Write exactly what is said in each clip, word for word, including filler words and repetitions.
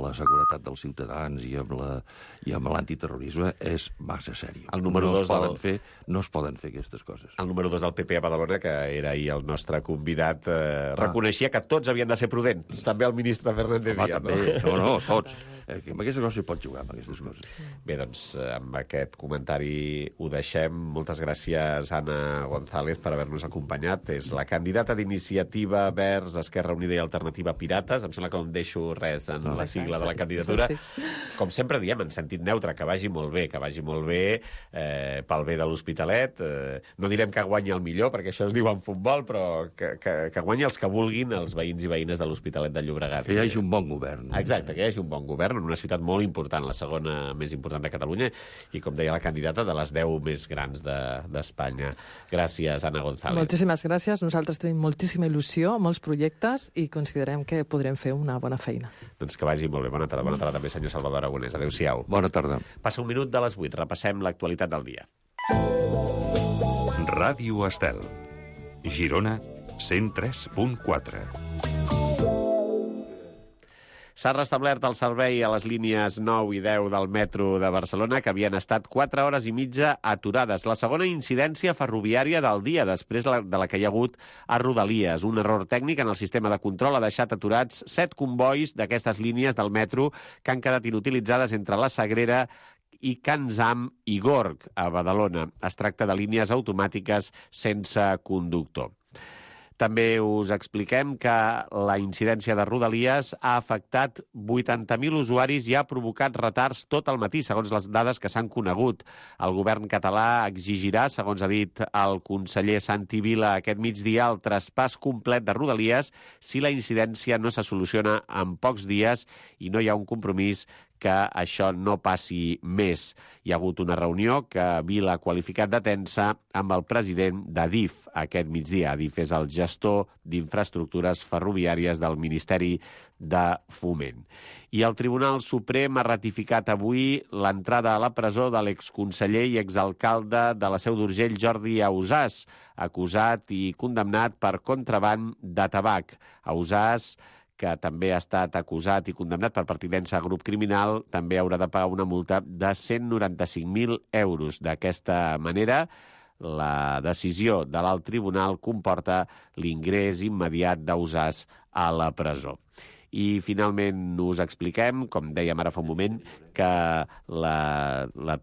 la seguretat dels ciutadans i amb la, i amb l'antiterrorisme és massa sèrio. El número no, dos es poden del... fer, no es poden fer aquestes coses. El número dos del P P a Badalona, que era ahir el nostre convidat, eh, ah. reconeixia que tots havien de ser prudents. També el ministre Fernández Díaz. També. No, no, tots. Eh, amb aquestes coses s'hi pot jugar, amb aquestes coses. Bé, doncs, amb aquest comentari ho deixem. Moltes gràcies, Anna González, per haver-nos acompanyat. És la candidata d'Iniciativa Verds, Esquerra Unida i Alternativa Pirates. Em sembla que no em deixo res en no, la sigla de la candidatura. Sí, sí. Com sempre diem, en sentit neutre, que vagi molt bé, que vagi molt bé eh, pel bé de l'Hospitalet. Eh, no direm que guanyi el millor, perquè això es diu en futbol, però que, que, que guanyi els que vulguin, els veïns i veïnes de l'Hospitalet de Llobregat. Que hi hagi un bon govern. Exacte, que hi hagi un bon govern en una ciutat molt important, la segona més important de Catalunya, i, com deia la candidata, de les deu més grans d'Espanya. De, Gràcies, Anna González. Moltíssimes gràcies. Nosaltres tenim moltíssima il·lusió, molts projectes, i considerem que podrem fer una bona feina. Doncs que vagi molt bé. Bona tarda. Bona tarda també, senyor Salvador Aragonès. Adéu-siau. Bona tarda. Passa un minut de les vuit. Repassem l'actualitat del dia. Ràdio Estel. Girona, cent tres punt quatre. S'ha restablert el servei a les línies nou i deu del metro de Barcelona, que havien estat quatre hores i mitja aturades. La segona incidència ferroviària del dia, després de la que hi ha hagut a Rodalies. Un error tècnic en el sistema de control ha deixat aturats set combois d'aquestes línies del metro que han quedat inutilitzades entre la Sagrera i Can Zam i Gorg, a Badalona. Es tracta de línies automàtiques sense conductor. També us expliquem que la incidència de Rodalies ha afectat vuitanta mil usuaris i ha provocat retards tot el matí, segons les dades que s'han conegut. El govern català exigirà, segons ha dit el conseller Santi Vila aquest migdia, el traspàs complet de Rodalies si la incidència no se soluciona en pocs dies i no hi ha un compromís que això no passi més. Hi ha hagut una reunió que Vila ha qualificat de tensa amb el president d'Adif aquest migdia. Adif és el gestor d'infraestructures ferroviàries del Ministeri de Foment. I el Tribunal Suprem ha ratificat avui l'entrada a la presó de l'exconseller i exalcalde de la Seu d'Urgell, Jordi Ausàs, acusat i condemnat per contraban de tabac. Ausàs, que també ha estat acusat i condemnat per pertinença a grup criminal, també haurà de pagar una multa de cent noranta-cinc mil euros. D'aquesta manera, la decisió de l'alt tribunal comporta l'ingrés immediat d'Ausàs a la presó. I, finalment, us expliquem, com dèiem ara fa un moment, que, la, la,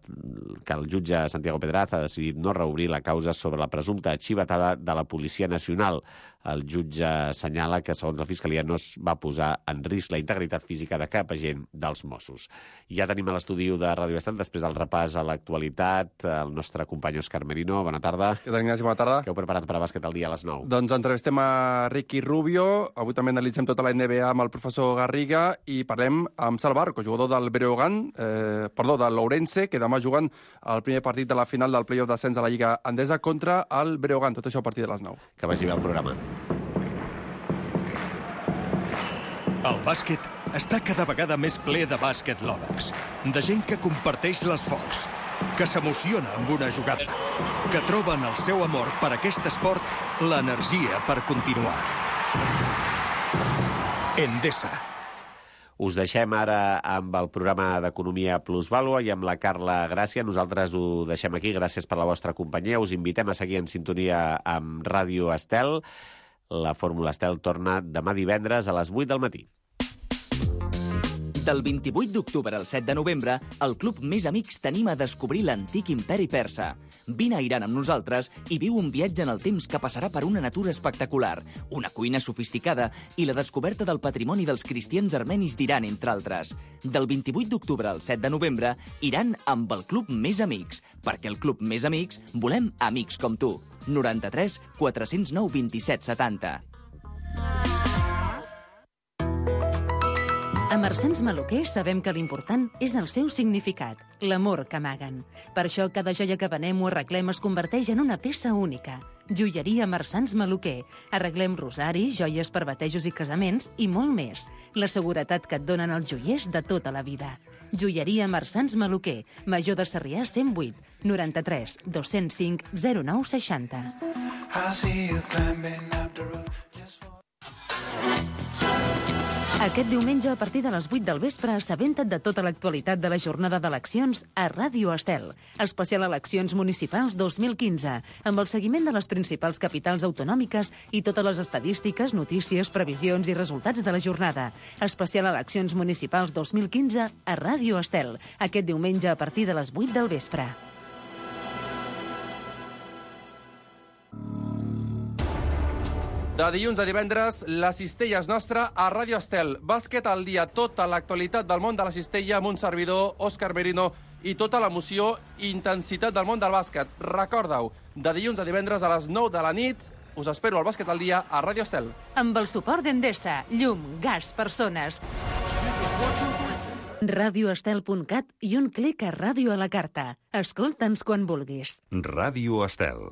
que el jutge Santiago Pedraz ha decidit no reobrir la causa sobre la presumpta xivatada de la Policia Nacional. El jutge assenyala que, segons la Fiscalia, no es va posar en risc la integritat física de cap agent dels Mossos. Ja tenim a l'estudi de Ràdio Estel, després del repàs a l'actualitat, el nostre company Òscar Merino. Bona tarda. Què tal, Ignasi? Bona tarda. Què heu preparat per a bàsquet al dia a les nou? Doncs entrevistem a Ricky Rubio. Avui també analitzem tota la N B A amb el professor Garriga i parlem amb Sal Barco, jugador del Breogán, eh, perdó, del Ourense, que demà juguen el primer partit de la final del play-off d'ascens de la Lliga Endesa contra el Breogán. Tot això a partir de les nou. Que vagi bé el programa. El bàsquet està cada vegada més ple de bàsquet lovers, de gent que comparteix l'esforç, que s'emociona amb una jugada, que troben el seu amor per aquest esport l'energia per continuar. Endesa. Us deixem ara amb el programa d'Economia Plusvàlua i amb la Carla Gràcia. Nosaltres ho deixem aquí. Gràcies per la vostra companyia. Us invitem a seguir en sintonia amb Ràdio Estel. La Fórmula Estel torna demà divendres a les vuit del matí. Del vint-i-vuit d'octubre al set de novembre, el Club Més Amics t'anima a descobrir l'antic imperi persa. Vine a Iran amb nosaltres i viu un viatge en el temps que passarà per una natura espectacular, una cuina sofisticada i la descoberta del patrimoni dels cristians armenis d'Iran, entre altres. Del vint-i-vuit d'octubre al set de novembre, Iran amb el Club Més Amics, perquè el Club Més Amics volem amics com tu. noranta-tres quatre-cents nou vint-i-set setanta. A Marsans Maluquer sabem que l'important és el seu significat, l'amor que amaguen. Per això cada joia que venem o arreglem es converteix en una peça única. Joieria Marsans Maluquer. Arreglem rosaris, joies per batejos i casaments i molt més. La seguretat que et donen els joiers de tota la vida. Joieria Marsans Maluquer. Major de Sarrià cent vuit, noranta-tres dos-cents cinc zero nou seixanta. Aquest diumenge, a partir de les vuit del vespre, assabenta't de tota l'actualitat de la jornada d'eleccions a Ràdio Estel. Especial Eleccions Municipals dos mil quinze, amb el seguiment de les principals capitals autonòmiques i totes les estadístiques, notícies, previsions i resultats de la jornada. Especial Eleccions Municipals dos mil quinze a Ràdio Estel. Aquest diumenge, a partir de les vuit del vespre. De dilluns a divendres, la cistella és nostra a Ràdio Estel. Bàsquet al dia, tota l'actualitat del món de la cistella amb un servidor, Òscar Merino, i tota l'emoció i intensitat del món del bàsquet. Recorda-ho, de dilluns a divendres a les nou de la nit, us espero al Bàsquet al dia a Ràdio Estel. Amb el suport d'Endesa, llum, gas, persones. radioestel punt cat i un clic a Ràdio a la carta. Escolta'ns quan vulguis. Ràdio Estel.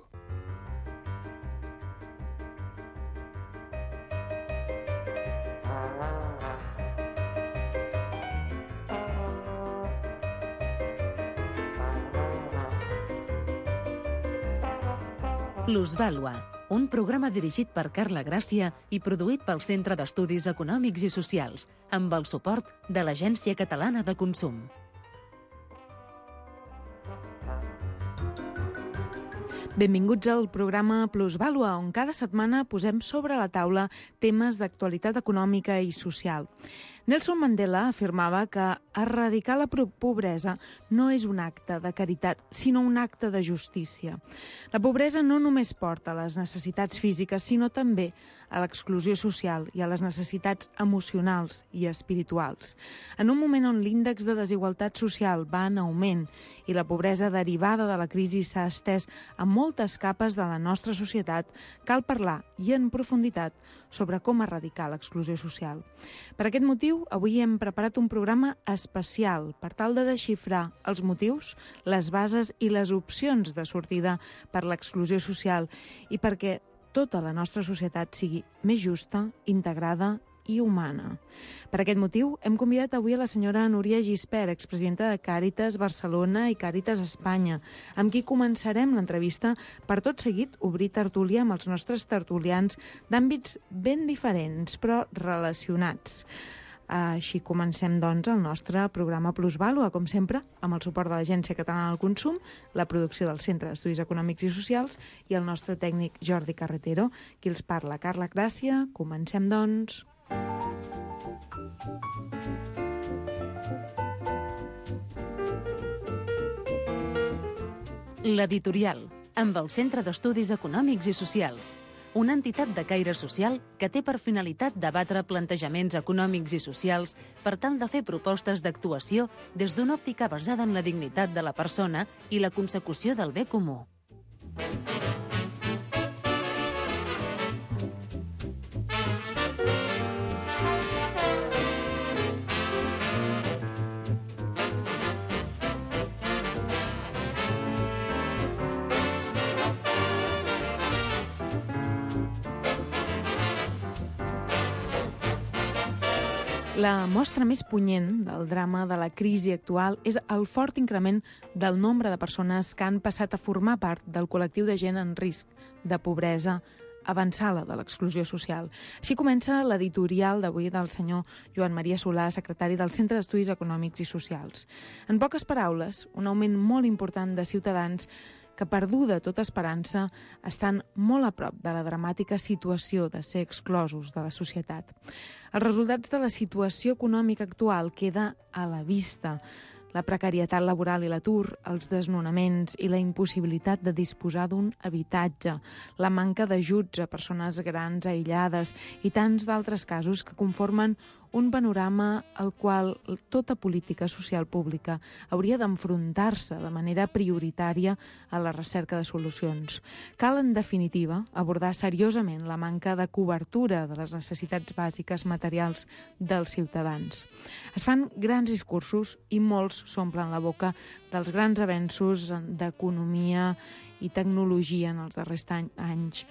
Plusvàlua, un programa dirigit per Carla Gràcia i produït pel Centre d'Estudis Econòmics i Socials, amb el suport de l'Agència Catalana de Consum. Benvinguts al programa Plusvàlua, on cada setmana posem sobre la taula temes d'actualitat econòmica i social. Nelson Mandela afirmava que erradicar la pobresa no és un acte de caritat, sinó un acte de justícia. La pobresa no només porta a les necessitats físiques, sinó també a l'exclusió social i a les necessitats emocionals i espirituals. En un moment on l'índex de desigualtat social va en augment i la pobresa derivada de la crisi s'ha estès a moltes capes de la nostra societat, cal parlar i en profunditat sobre com erradicar l'exclusió social. Per aquest motiu, avui hem preparat un programa especial per tal de desxifrar els motius, les bases i les opcions de sortida per l'exclusió social i perquè tota la nostra societat sigui més justa, integrada i humana. Per aquest motiu, hem convidat avui a la senyora Núria Gispert, expresidenta de Càritas Barcelona i Càritas Espanya, amb qui començarem l'entrevista per tot seguit obrir tertúlia amb els nostres tertulians d'àmbits ben diferents, però relacionats. Així comencem, doncs, el nostre programa Plusvàlua, com sempre, amb el suport de l'Agència Catalana del Consum, la producció del Centre d'Estudis Econòmics i Socials i el nostre tècnic Jordi Carretero, qui els parla, Carla Gràcia. Comencem, doncs. L'editorial, amb el Centre d'Estudis Econòmics i Socials, una entitat de caire social que té per finalitat debatre plantejaments econòmics i socials per tal de fer propostes d'actuació des d'una òptica basada en la dignitat de la persona i la consecució del bé comú. La mostra més punyent del drama de la crisi actual és el fort increment del nombre de persones que han passat a formar part del col·lectiu de gent en risc de pobresa avançada de l'exclusió social. Així comença l'editorial d'avui del senyor Joan Maria Solà, secretari del Centre d'Estudis Econòmics i Socials. En poques paraules, un augment molt important de ciutadans que, perduda tota esperança, estan molt a prop de la dramàtica situació de ser exclosos de la societat. Els resultats de la situació econòmica actual queda a la vista. La precarietat laboral i l'atur, els desnonaments i la impossibilitat de disposar d'un habitatge, la manca d'ajuts a persones grans aïllades i tants d'altres casos que conformen un panorama al qual tota política social pública hauria d'enfrontar-se de manera prioritària a la recerca de solucions. Cal, en definitiva, abordar seriosament la manca de cobertura de les necessitats bàsiques materials dels ciutadans. Es fan grans discursos i molts s'omplen la boca dels grans avenços d'economia i tecnologia en els darrers anys,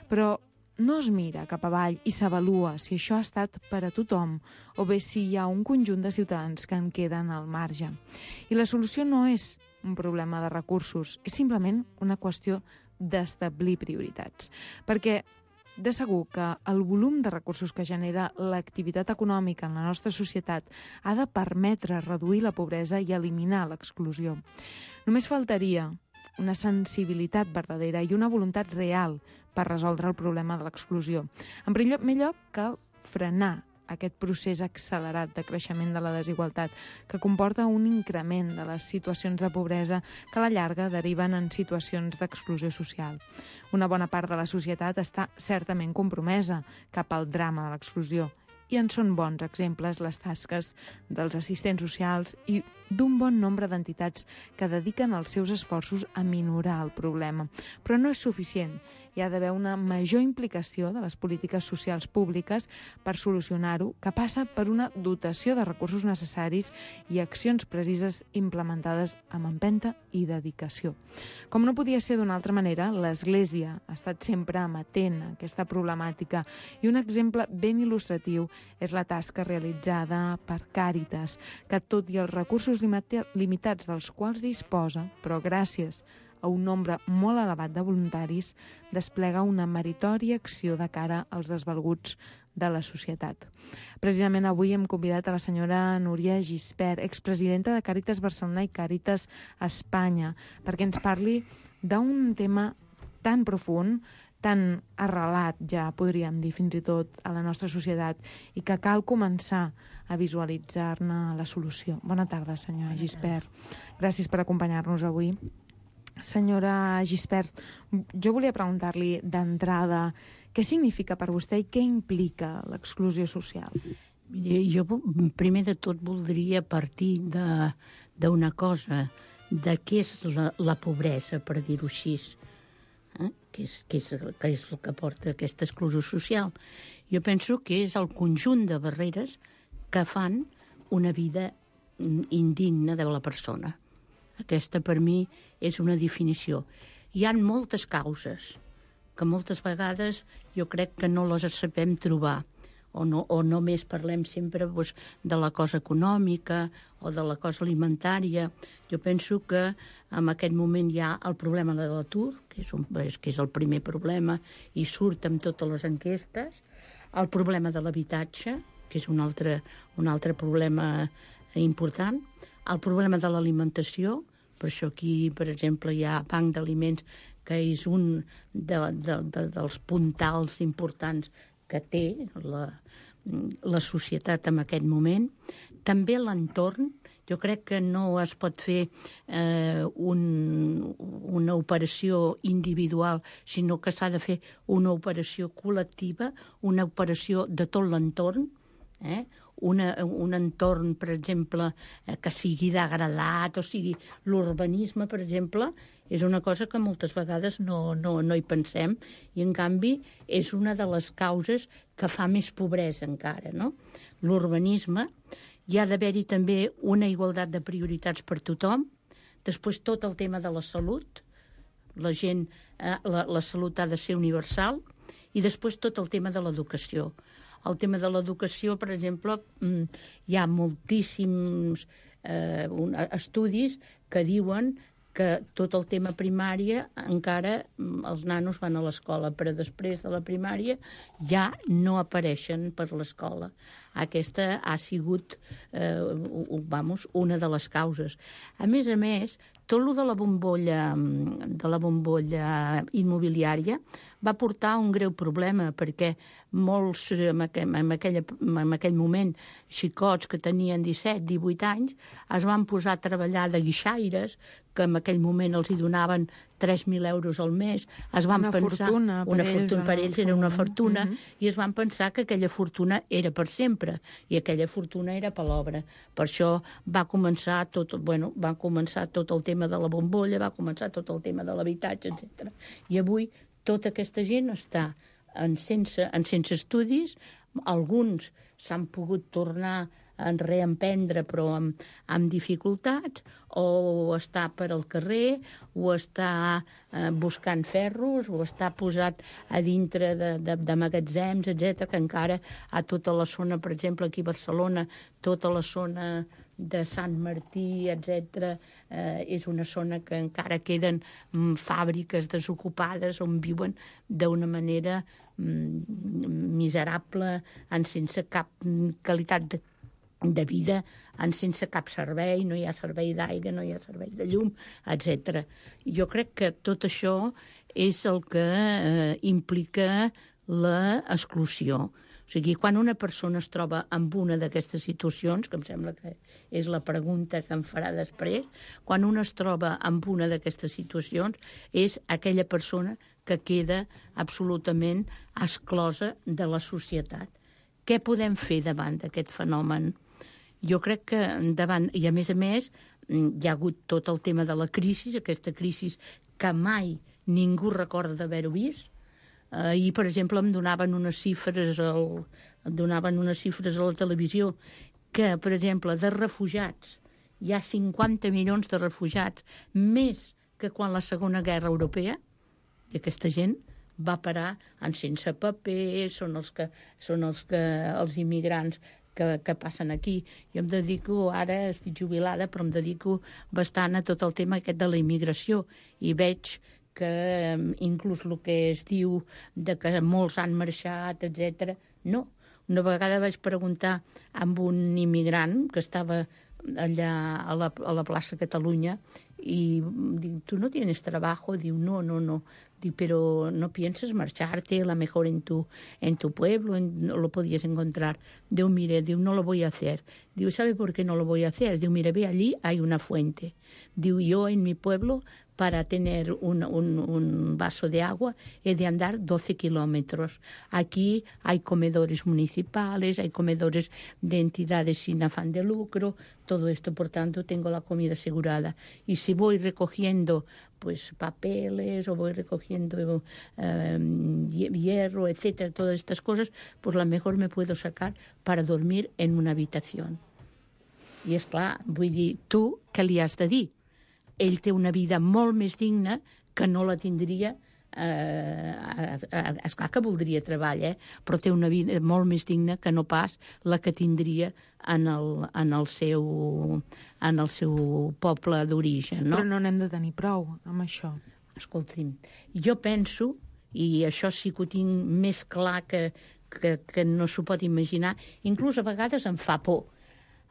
però no es mira cap avall i s'avalua si això ha estat per a tothom o bé si hi ha un conjunt de ciutadans que en queden al marge. I la solució no és un problema de recursos, és simplement una qüestió d'establir prioritats. Perquè De segur que el volum de recursos que genera l'activitat econòmica en la nostra societat ha de permetre reduir la pobresa i eliminar l'exclusió. Només faltaria una sensibilitat verdadera i una voluntat real per resoldre el problema de l'exclusió. En primer lloc, cal frenar aquest procés accelerat de creixement de la desigualtat que comporta un increment de les situacions de pobresa que a la llarga deriven en situacions d'exclusió social. Una bona part de la societat està certament compromesa cap al drama de l'exclusió i en són bons exemples les tasques dels assistents socials i d'un bon nombre d'entitats que dediquen els seus esforços a minorar el problema. Però no és suficient. Hi ha d'haver una major implicació de les polítiques socials públiques per solucionar-ho, que passa per una dotació de recursos necessaris i accions precises implementades amb empenta i dedicació. Com no podia ser d'una altra manera, l'Església ha estat sempre amatent a aquesta problemàtica i un exemple ben il·lustratiu és la tasca realitzada per Càritas, que tot i els recursos limitats dels quals disposa, però gràcies a un nombre molt elevat de voluntaris, desplega una meritòria acció de cara als desvalguts de la societat. Precisament avui hem convidat a la senyora Núria Gispert, expresidenta de Càritas Barcelona i Càritas Espanya, perquè ens parli d'un tema tan profund, tan arrelat, ja podríem dir fins i tot, a la nostra societat, i que cal començar a visualitzar-ne la solució. Bona tarda, senyora Gispert. Gràcies per acompanyar-nos avui. Senyora Gispert, jo volia preguntar-li d'entrada què significa per vostè i què implica l'exclusió social? Mire, jo primer de tot voldria partir d'una cosa, de què és la, la pobresa, per dir-ho així, eh? que, és, que, és, que és el que porta aquesta exclusió social. Jo penso que és el conjunt de barreres que fan una vida indigna de la persona. Aquesta, per mi, és una definició. Hi ha moltes causes que moltes vegades jo crec que no les sabem trobar, o, no, o només parlem sempre doncs, de la cosa econòmica o de la cosa alimentària. Jo penso que en aquest moment hi ha el problema de l'atur, que és, un, que és el primer problema, i surt amb totes les enquestes, el problema de l'habitatge, que és un altre, un altre problema important, el problema de l'alimentació, per això aquí, per exemple, hi ha Banc d'Aliments, que és un de, de, de, dels puntals importants que té la, la societat en aquest moment. També l'entorn. Jo crec que no es pot fer eh, un, una operació individual, sinó que s'ha de fer una operació col·lectiva, una operació de tot l'entorn, eh? Una, un entorn, per exemple, eh, que sigui degradat, o sigui, l'urbanisme, per exemple, és una cosa que moltes vegades no, no, no hi pensem, i en canvi és una de les causes que fa més pobresa encara, no? L'urbanisme, hi ha d'haver-hi també una igualtat de prioritats per tothom, després tot el tema de la salut, la gent, eh, la, la salut ha de ser universal, i després tot el tema de l'educació. El tema de l'educació, per exemple, hi ha moltíssims eh, estudis que diuen que tot el tema primària encara els nanos van a l'escola, però després de la primària ja no apareixen per l'escola. Aquesta ha sigut eh, vamos, una de les causes. A més a més, tot el de la bombolla, de la bombolla immobiliària va portar un greu problema, perquè molts, en aquell, en aquella, en aquell moment, xicots que tenien disset, divuit anys, es van posar a treballar de guixaires, que en aquell moment els hi donaven tres mil euros al mes. Es van una pensar, fortuna per una ells. Fortuna, per ells era una fortuna, uh-huh. i es van pensar que aquella fortuna era per sempre, i aquella fortuna era per l'obra. Per això va començar tot, bueno, va començar tot el tema de la bombolla, va començar tot el tema de l'habitatge, etcètera. I avui tota aquesta gent està en sense, en sense estudis, alguns s'han pogut tornar en reemprendre però amb, amb dificultats, o està per al carrer, o està eh, buscant ferros, o està posat a dintre de, de, de magatzems, etcètera, que encara a tota la zona, per exemple, aquí a Barcelona, tota la zona de Sant Martí, etcètera, eh, és una zona que encara queden mm, fàbriques desocupades on viuen d'una manera mm, miserable, en sense cap qualitat de, de vida, en sense cap servei, no hi ha servei d'aigua, no hi ha servei de llum, etcètera. Jo crec que tot això és el que eh, implica l'exclusió. O sigui, quan una persona es troba en una d'aquestes situacions, que em sembla que és la pregunta que em farà després, quan una es troba en una d'aquestes situacions és aquella persona que queda absolutament exclosa de la societat. Què podem fer davant d'aquest fenomen? Jo crec que davant, i a més a més, hi ha hagut tot el tema de la crisi, aquesta crisi que mai ningú recorda d'haver-ho vist. Ahir, per exemple, em donaven unes xifres, al, em donaven unes xifres a la televisió que, per exemple, de refugiats, hi ha cinquanta milions de refugiats, més que quan la Segona Guerra Europea, i aquesta gent va parar en sense paper, són els que, són els, que, els immigrants que, que passen aquí. Jo em dedico, ara estic jubilada, però em dedico bastant a tot el tema aquest de la immigració, i veig que inclús el que es diu de que molts han marxat, etcètera. No. Una vegada vaig preguntar amb un immigrant que estava allà a la, a la plaça Catalunya i dic, ¿tu no tienes trabajo? Diu, no, no, no. Dic, pero no piensas marcharte, a lo mejor en tu, en tu pueblo, en, no lo podías encontrar. Diu, mire, diu, no lo voy a hacer. Diu, ¿sabe por qué no lo voy a hacer? Diu, mire, ve allí, hay una fuente. Diu, yo en mi pueblo, para tener un, un, un vaso de agua, he de andar doce kilómetros. Aquí hay comedores municipales, hay comedores de entidades sin afán de lucro, todo esto, por tanto, tengo la comida asegurada. Y si voy recogiendo pues papeles o voy recogiendo eh, hierro, etcétera, todas estas cosas, pues a lo mejor me puedo sacar para dormir en una habitación. I és clar, vull dir, tu què li has de dir? Ell té una vida molt més digna que no la tindria, eh, esclar que voldria treball, eh? Però té una vida molt més digna que no pas la que tindria en el, en el, seu, en el seu poble d'origen. No? Però no n'hem de tenir prou amb això. Escolti'm, jo penso, i això sí que ho tinc més clar que, que, que no s'ho pot imaginar, inclús a vegades em fa por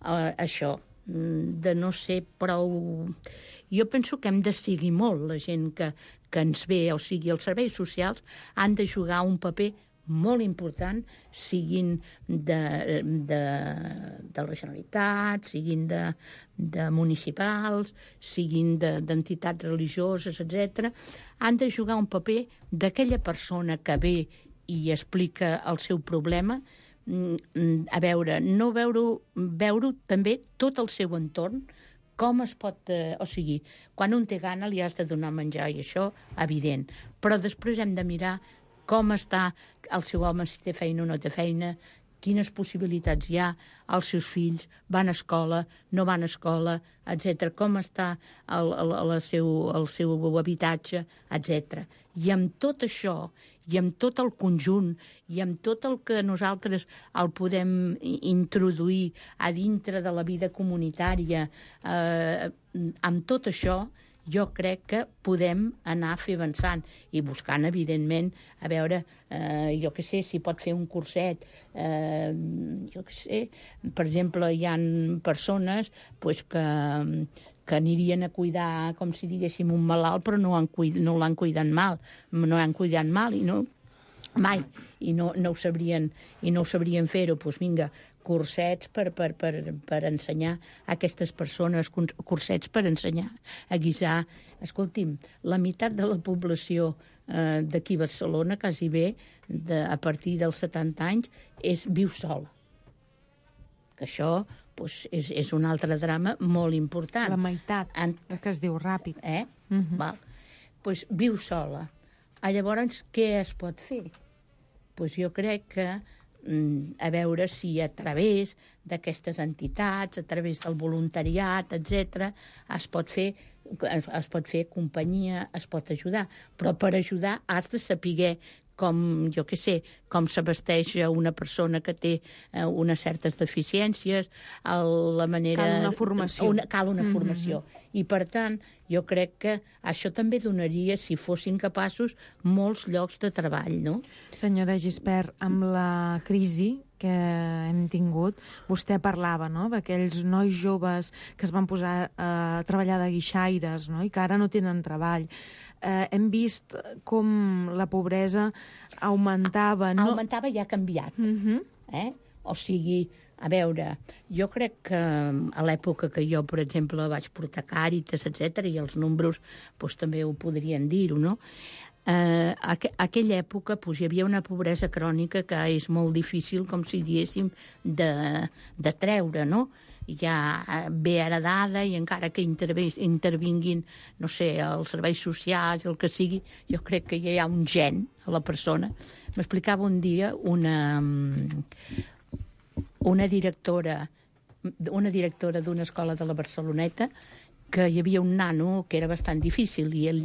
eh, això, de no ser prou... Jo penso que hem de seguir molt la gent que, que ens ve, o sigui, els serveis socials han de jugar un paper molt important, siguin de, de, de la Generalitat, siguin de, de municipals, siguin d'entitats religioses, etcètera. Han de jugar un paper d'aquella persona que ve i explica el seu problema, a veure, no veure, veure també tot el seu entorn, com es pot... Eh, o sigui, quan un té gana li has de donar menjar, i això, evident. Però després hem de mirar com està el seu home, si té feina o no té feina, quines possibilitats hi ha, els seus fills van a escola, no van a escola, etcètera, com està el, el, el, seu, el seu habitatge, etcètera. I amb tot això, i amb tot el conjunt, i amb tot el que nosaltres el podem introduir a dintre de la vida comunitària, eh, amb tot això, jo crec que podem anar a fer avançant i buscant, evidentment, a veure, eh, jo què sé, si pot fer un curset, eh, jo què sé, per exemple, hi ha persones pues, que, que anirien a cuidar, com si diguéssim, un malalt, però no, han cuid, no l'han cuidat mal, no l'han cuidat mal, i no, mai, i no, no ho sabrien, i no ho sabrien fer-ho, doncs vinga, cursets per, per, per, per ensenyar a aquestes persones, cursets per ensenyar a guisar. Escolti'm, la meitat de la població eh, d'aquí a Barcelona, quasi bé, de, a partir dels setanta anys, és, viu sola. Que això pues, és, és un altre drama molt important. La meitat, en... que es diu ràpid. Eh? Uh-huh. Val. Pues, viu sola. Ah, llavors, què es pot fer? Pues jo crec que a veure si a través d'aquestes entitats, a través del voluntariat, etcètera, es pot fer es pot fer companyia, es pot ajudar. Però per ajudar has de saber com, jo què sé, com s'abasteix una persona que té eh, unes certes deficiències, el, la manera... Cal una formació. Una, cal una mm-hmm. formació. I, per tant, jo crec que això també donaria, si fossin capaços, molts llocs de treball, no? Senyora Gispert, amb la crisi que hem tingut, vostè parlava, no?, d'aquells nois joves que es van posar a treballar de guixaires, no?, i que ara no tenen treball. Eh, hem vist com la pobresa augmentava... No? Augmentava i ha canviat. Uh-huh. eh? O sigui, a veure, jo crec que a l'època que jo, per exemple, vaig portar Càritas, etcètera, i els números doncs, també ho podrien dir-ho, no? Eh, a aquella època doncs, hi havia una pobresa crònica que és molt difícil, com si diéssim, de, de treure, no? Ja ve heredada i encara que intervinguin, no sé, els serveis socials, el que sigui, jo crec que ja hi ha un gen a la persona. M'explicava un dia una, una directora una directora d'una escola de la Barceloneta que hi havia un nano que era bastant difícil i ell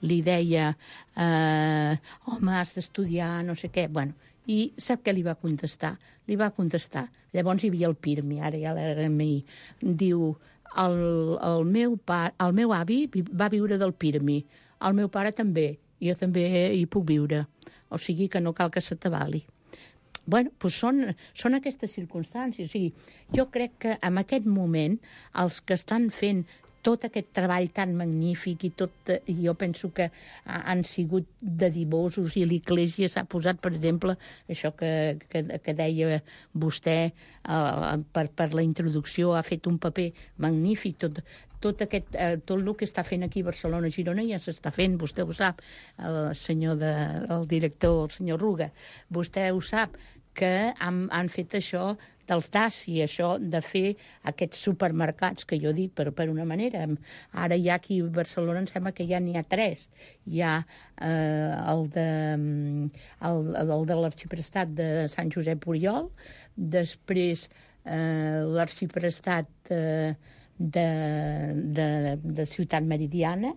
li deia eh, home, has d'estudiar, no sé què. Bueno, i sap què li va contestar? Li va contestar. Llavors hi havia el Pirmi, ara ja l'R M I. Diu, el, el, meu pa, el meu avi va viure del Pirmi, el meu pare també, jo també hi puc viure. O sigui que no cal que s'atabali. Bueno, doncs són, són aquestes circumstàncies. O sigui, jo crec que en aquest moment els que estan fent tot aquest treball tan magnífic i tot, jo penso que han sigut dedivosos i l'Església s'ha posat, per exemple, això que, que, que deia vostè eh, per, per la introducció, ha fet un paper magnífic, tot, tot, aquest, eh, tot el que està fent aquí a Barcelona, a Girona, ja s'està fent, vostè ho sap, el senyor de, el director, el senyor Ruga, vostè ho sap, que han, han fet això dels D A S I, això de fer aquests supermercats, que jo dic per, per una manera. Ara ja aquí a Barcelona em sembla que ja n'hi ha tres. Hi ha eh, el, de, el, el de l'Arxiprestat de Sant Josep Oriol, després eh, l'Arxiprestat eh, de, de, de Ciutat Meridiana,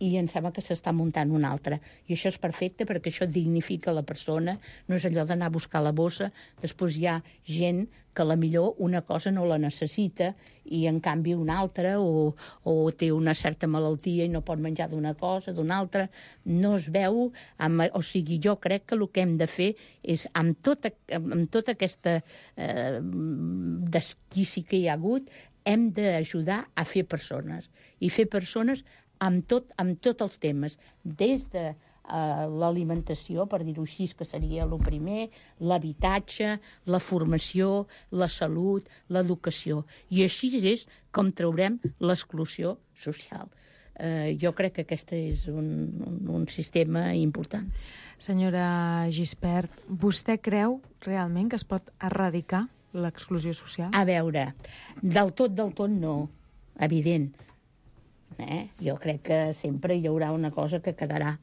i em sembla que s'està muntant una altra. I això és perfecte perquè això dignifica la persona, no és allò d'anar a buscar la bossa, després hi ha gent que la millor una cosa no la necessita i en canvi una altra, o, o té una certa malaltia i no pot menjar d'una cosa, d'una altra, no es veu, amb, o sigui, jo crec que el que hem de fer és, amb tota, amb tota aquesta eh, desquici que hi ha hagut, hem d'ajudar a fer persones, i fer persones amb tot, amb tots els temes, des de uh, l'alimentació, per dir-ho així, que seria el primer, l'habitatge, la formació, la salut, l'educació. I així és com traurem l'exclusió social. Uh, jo crec que aquest és un, un, un sistema important. Senyora Gispert, vostè creu realment que es pot erradicar l'exclusió social? A veure, del tot, del tot no, evident. Eh? Jo crec que sempre hi haurà una cosa que quedarà.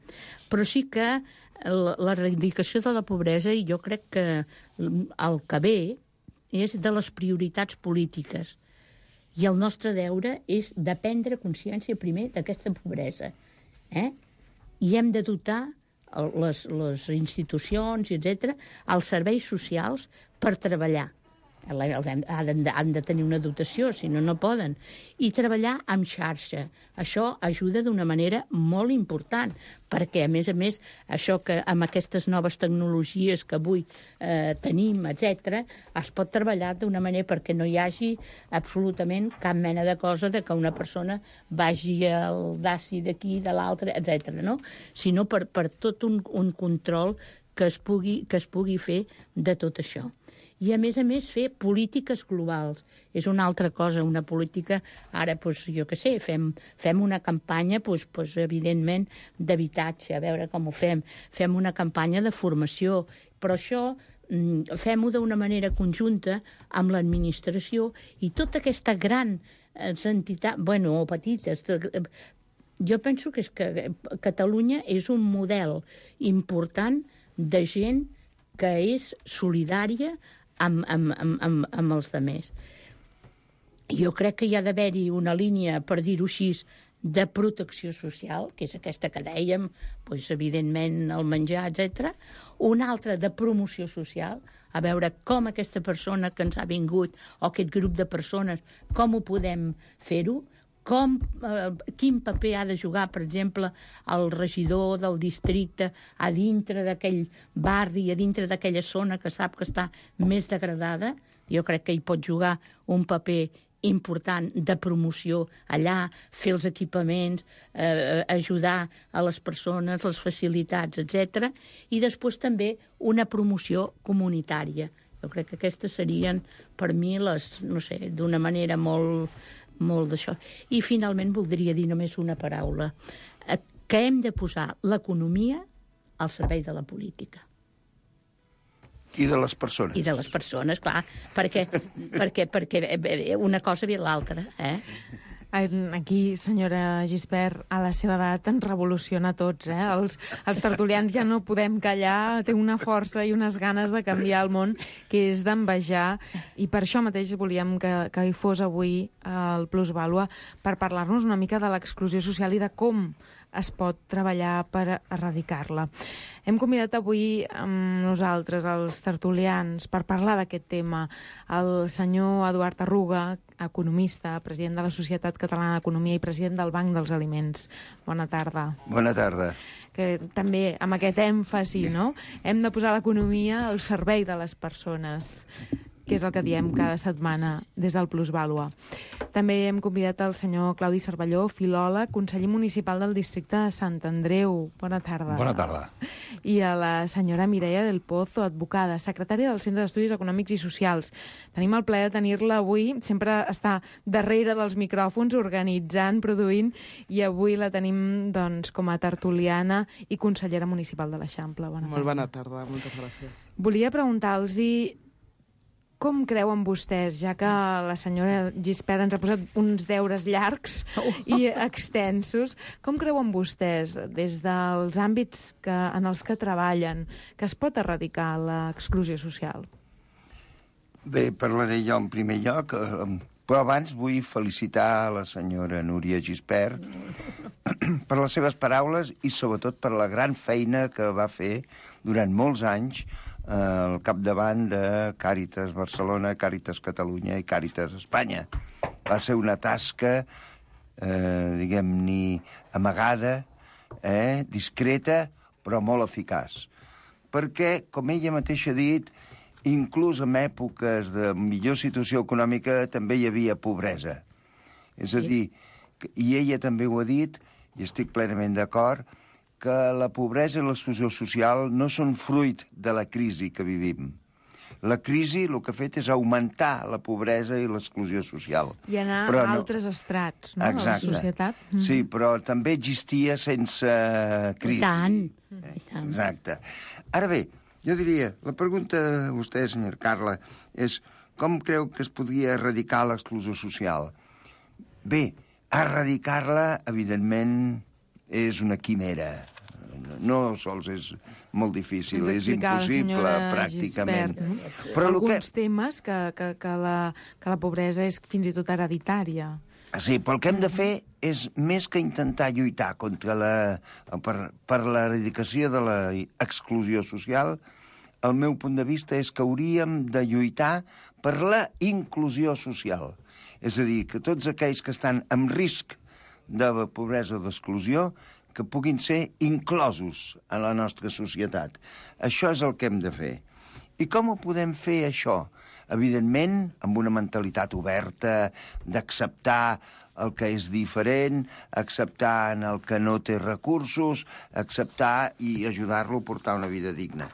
Però sí que l'erradicació de la pobresa, i jo crec que el que ve és de les prioritats polítiques. I el nostre deure és de prendre consciència primer d'aquesta pobresa. Eh? I hem de dotar les, les institucions, etcètera, els serveis socials per treballar. Han de, han de tenir una dotació, si no, no poden. I treballar amb xarxa. Això ajuda d'una manera molt important, perquè, a més a més, això que amb aquestes noves tecnologies que avui eh, tenim, etcètera, es pot treballar d'una manera perquè no hi hagi absolutament cap mena de cosa de que una persona vagi al D A S I d'aquí, de l'altre, etcètera, no? Sinó per, per tot un, un control que es pugui, que es pugui fer de tot això. I, a més a més, fer polítiques globals. És una altra cosa, una política... Ara, doncs, jo què sé, fem, fem una campanya, doncs, doncs, evidentment, d'habitatge, a veure com ho fem. Fem una campanya de formació, però això fem-ho d'una manera conjunta amb l'administració i tota aquesta gran entitat, bueno, o petites... Jo penso que, és que Catalunya és un model important de gent que és solidària amb, amb, amb, amb, amb els altres. Jo crec que hi ha d'haver-hi una línia, per dir-ho així, de protecció social, que és aquesta que dèiem, doncs, evidentment el menjar, etcètera. Una altra de promoció social, a veure com aquesta persona que ens ha vingut, o aquest grup de persones, com ho podem fer-ho, com, eh, quin paper ha de jugar, per exemple, el regidor del districte a dintre d'aquell barri, a dintre d'aquella zona que sap que està més degradada. Jo crec que hi pot jugar un paper important de promoció allà, fer els equipaments, eh, ajudar a les persones, les facilitats, etcètera. I després també una promoció comunitària. Jo crec que aquestes serien, per mi, les, no sé, d'una manera molt, molt d'això. I finalment voldria dir només una paraula, eh, que hem de posar l'economia al servei de la política. I de les persones. I de les persones, clar, perquè, perquè, perquè una cosa ve l'altra, eh? Aquí, senyora Gispert, a la seva edat ens revoluciona a tots, eh? Els, els tertulians ja no podem callar, té una força i unes ganes de canviar el món que és d'envejar, i per això mateix volíem que, que hi fos avui el Plusvàlua, per parlar-nos una mica de l'exclusió social i de com es pot treballar per erradicar-la. Hem convidat avui amb nosaltres, els tertulians, per parlar d'aquest tema, el senyor Eduard Arruga, economista, president de la Societat Catalana d'Economia i president del Banc dels Aliments. Bona tarda. Bona tarda. Que també, amb aquest èmfasi, no? Hem de posar l'economia al servei de les persones, que és el que diem cada setmana des del Plusvàlua. També hem convidat el senyor Claudi Cervelló, filòleg, conseller municipal del districte de Sant Andreu. Bona tarda. Bona tarda. I a la senyora Mireia del Pozo, advocada, secretària del Centre d'Estudis Econòmics i Socials. Tenim el plaer de tenir-la avui, sempre està darrere dels micròfons, organitzant, produint, i avui la tenim doncs, com a tertuliana i consellera municipal de l'Eixample. Bona tarda. Molt bona tarda, moltes gràcies. Volia preguntar-los com creuen vostès, ja que la senyora Gispert ens ha posat uns deures llargs i extensos, com creuen vostès, des dels àmbits que, en els que treballen, que es pot erradicar l'exclusió social? Bé, parlaré jo en primer lloc, però abans vull felicitar la senyora Núria Gispert per les seves paraules i sobretot per la gran feina que va fer durant molts anys al capdavant de Càritas Barcelona, Càritas Catalunya i Càritas Espanya. Va ser una tasca, eh, diguem-ne, amagada, eh, discreta, però molt eficaç. Perquè, com ella mateixa ha dit, inclús en èpoques de millor situació econòmica també hi havia pobresa. És a dir, i ella també ho ha dit, i estic plenament d'acord, que la pobresa i l'exclusió social no són fruit de la crisi que vivim. La crisi el que ha fet és augmentar la pobresa i l'exclusió social. I anar però a no... altres estrats, no?, Exacte. de la societat. Mm-hmm. Sí, però també existia sense crisi. I tant. Eh, Exacte. Ara bé, jo diria, la pregunta de vostè, senyor Carla, és com creu que es podria erradicar l'exclusió social? Bé, erradicar-la, evidentment, és una quimera. No sols és molt difícil, és impossible, pràcticament. Gispert, no? Però alguns que... temes que, que, que, la, que la pobresa és fins i tot hereditària. Sí, però el que hem de fer és més que intentar lluitar contra la, per, per l'eradicació de l'exclusió social. El meu punt de vista és que hauríem de lluitar per la inclusió social. És a dir, que tots aquells que estan en risc de pobresa o d'exclusió que puguin ser inclosos en la nostra societat. Això és el que hem de fer. I com ho podem fer, això? Evidentment, amb una mentalitat oberta, d'acceptar el que és diferent, acceptar en el que no té recursos, acceptar i ajudar-lo a portar una vida digna.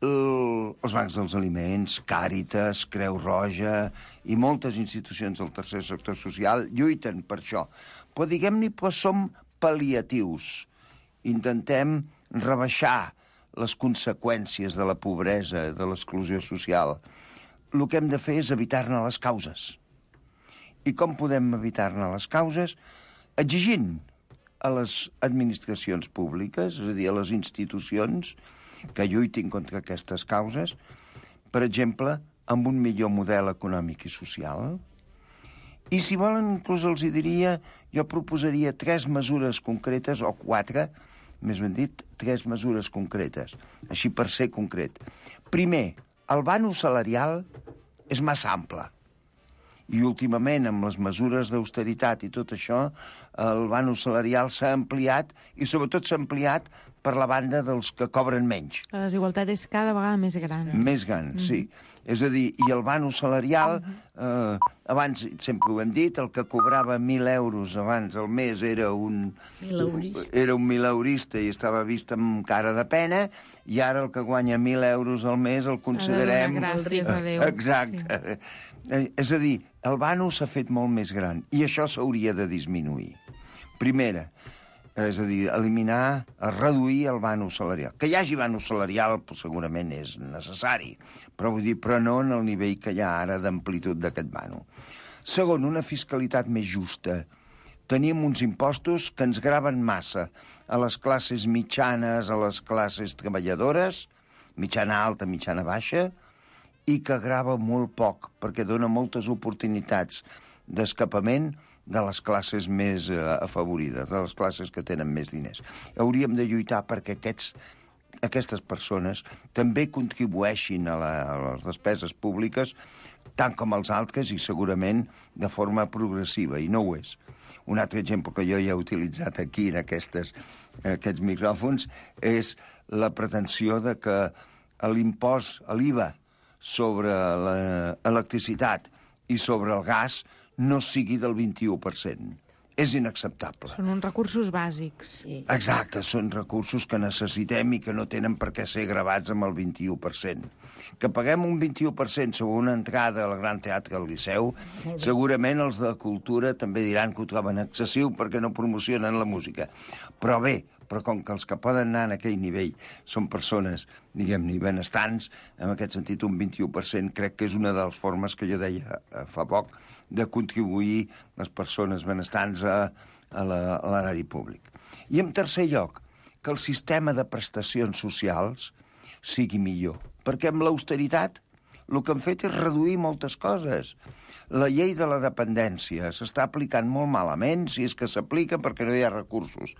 El, els bancs dels aliments, Càritas, Creu Roja i moltes institucions del tercer sector social lluiten per això. Però diguem-ne, però som pal·liatius. Intentem rebaixar les conseqüències de la pobresa, de l'exclusió social. El que hem de fer és evitar-ne les causes. I com podem evitar-ne les causes? Exigint a les administracions públiques, és a dir, a les institucions, que lluitin contra aquestes causes, per exemple, amb un millor model econòmic i social. I si volen, inclús els hi diria, jo proposaria tres mesures concretes, o quatre, més ben dit, tres mesures concretes, així per ser concret. Primer, el vano salarial és massa ample. I últimament, amb les mesures d'austeritat i tot això, el vano salarial s'ha ampliat i sobretot s'ha ampliat per la banda dels que cobren menys. La desigualtat és cada vegada més gran. Més gran, mm. sí. És a dir, i el vano salarial, eh, abans sempre ho hem dit, el que cobrava mil euros abans al mes era un... Mileurista. Era un mileurista i estava vist amb cara de pena, i ara el que guanya mil euros al mes el considerem... Gràcies a Déu. Exacte. Sí. És a dir, el vano s'ha fet molt més gran, i això s'hauria de disminuir. Primera, és a dir, eliminar, reduir el vano salarial. Que hi hagi vano salarial segurament és necessari, però vull dir, però no en el nivell que hi ha ara d'amplitud d'aquest vano. Segon, una fiscalitat més justa. Tenim uns impostos que ens graven massa a les classes mitjanes, a les classes treballadores, mitjana alta, mitjana baixa, i que grava molt poc, perquè dona moltes oportunitats d'escapament de les classes més eh, afavorides, de les classes que tenen més diners. Hauríem de lluitar perquè aquests, aquestes persones també contribueixin a, la, a les despeses públiques tant com els altres i segurament de forma progressiva, i no ho és. Un altre exemple que jo ja he utilitzat aquí en aquestes, aquests micròfons és la pretensió de que l'impost, l'I V A sobre l'electricitat i sobre el gas no sigui del vint-i-u per cent. És inacceptable. Són uns recursos bàsics. Sí. Exacte, són recursos que necessitem i que no tenen per què ser gravats amb el vint-i-u per cent. Que paguem un vint-i-u per cent sobre una entrada al Gran Teatre al Liceu, segurament els de Cultura també diran que ho troben excessiu perquè no promocionen la música. Però bé, però com que els que poden anar en aquell nivell són persones, diguem-ne, benestants, en aquest sentit un vint-i-u per cent crec que és una de les formes que jo deia fa poc de contribuir les persones benestants a, a l'erari públic. I en tercer lloc, que el sistema de prestacions socials sigui millor. Perquè amb l'austeritat el que han fet és reduir moltes coses. La llei de la dependència s'està aplicant molt malament, si és que s'aplica perquè no hi ha recursos.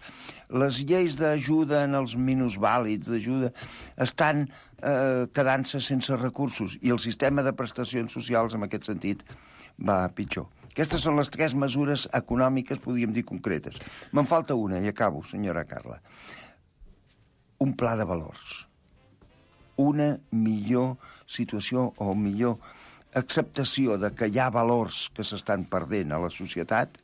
Les lleis d'ajuda en els minusvàlids, d'ajuda, estan eh, quedant-se sense recursos, i el sistema de prestacions socials, en aquest sentit, va pitjor. Aquestes són les tres mesures econòmiques, podríem dir, concretes. Me'n falta una, i acabo, senyora Carla. Un pla de valors. Una millor situació o millor acceptació de que hi ha valors que s'estan perdent a la societat,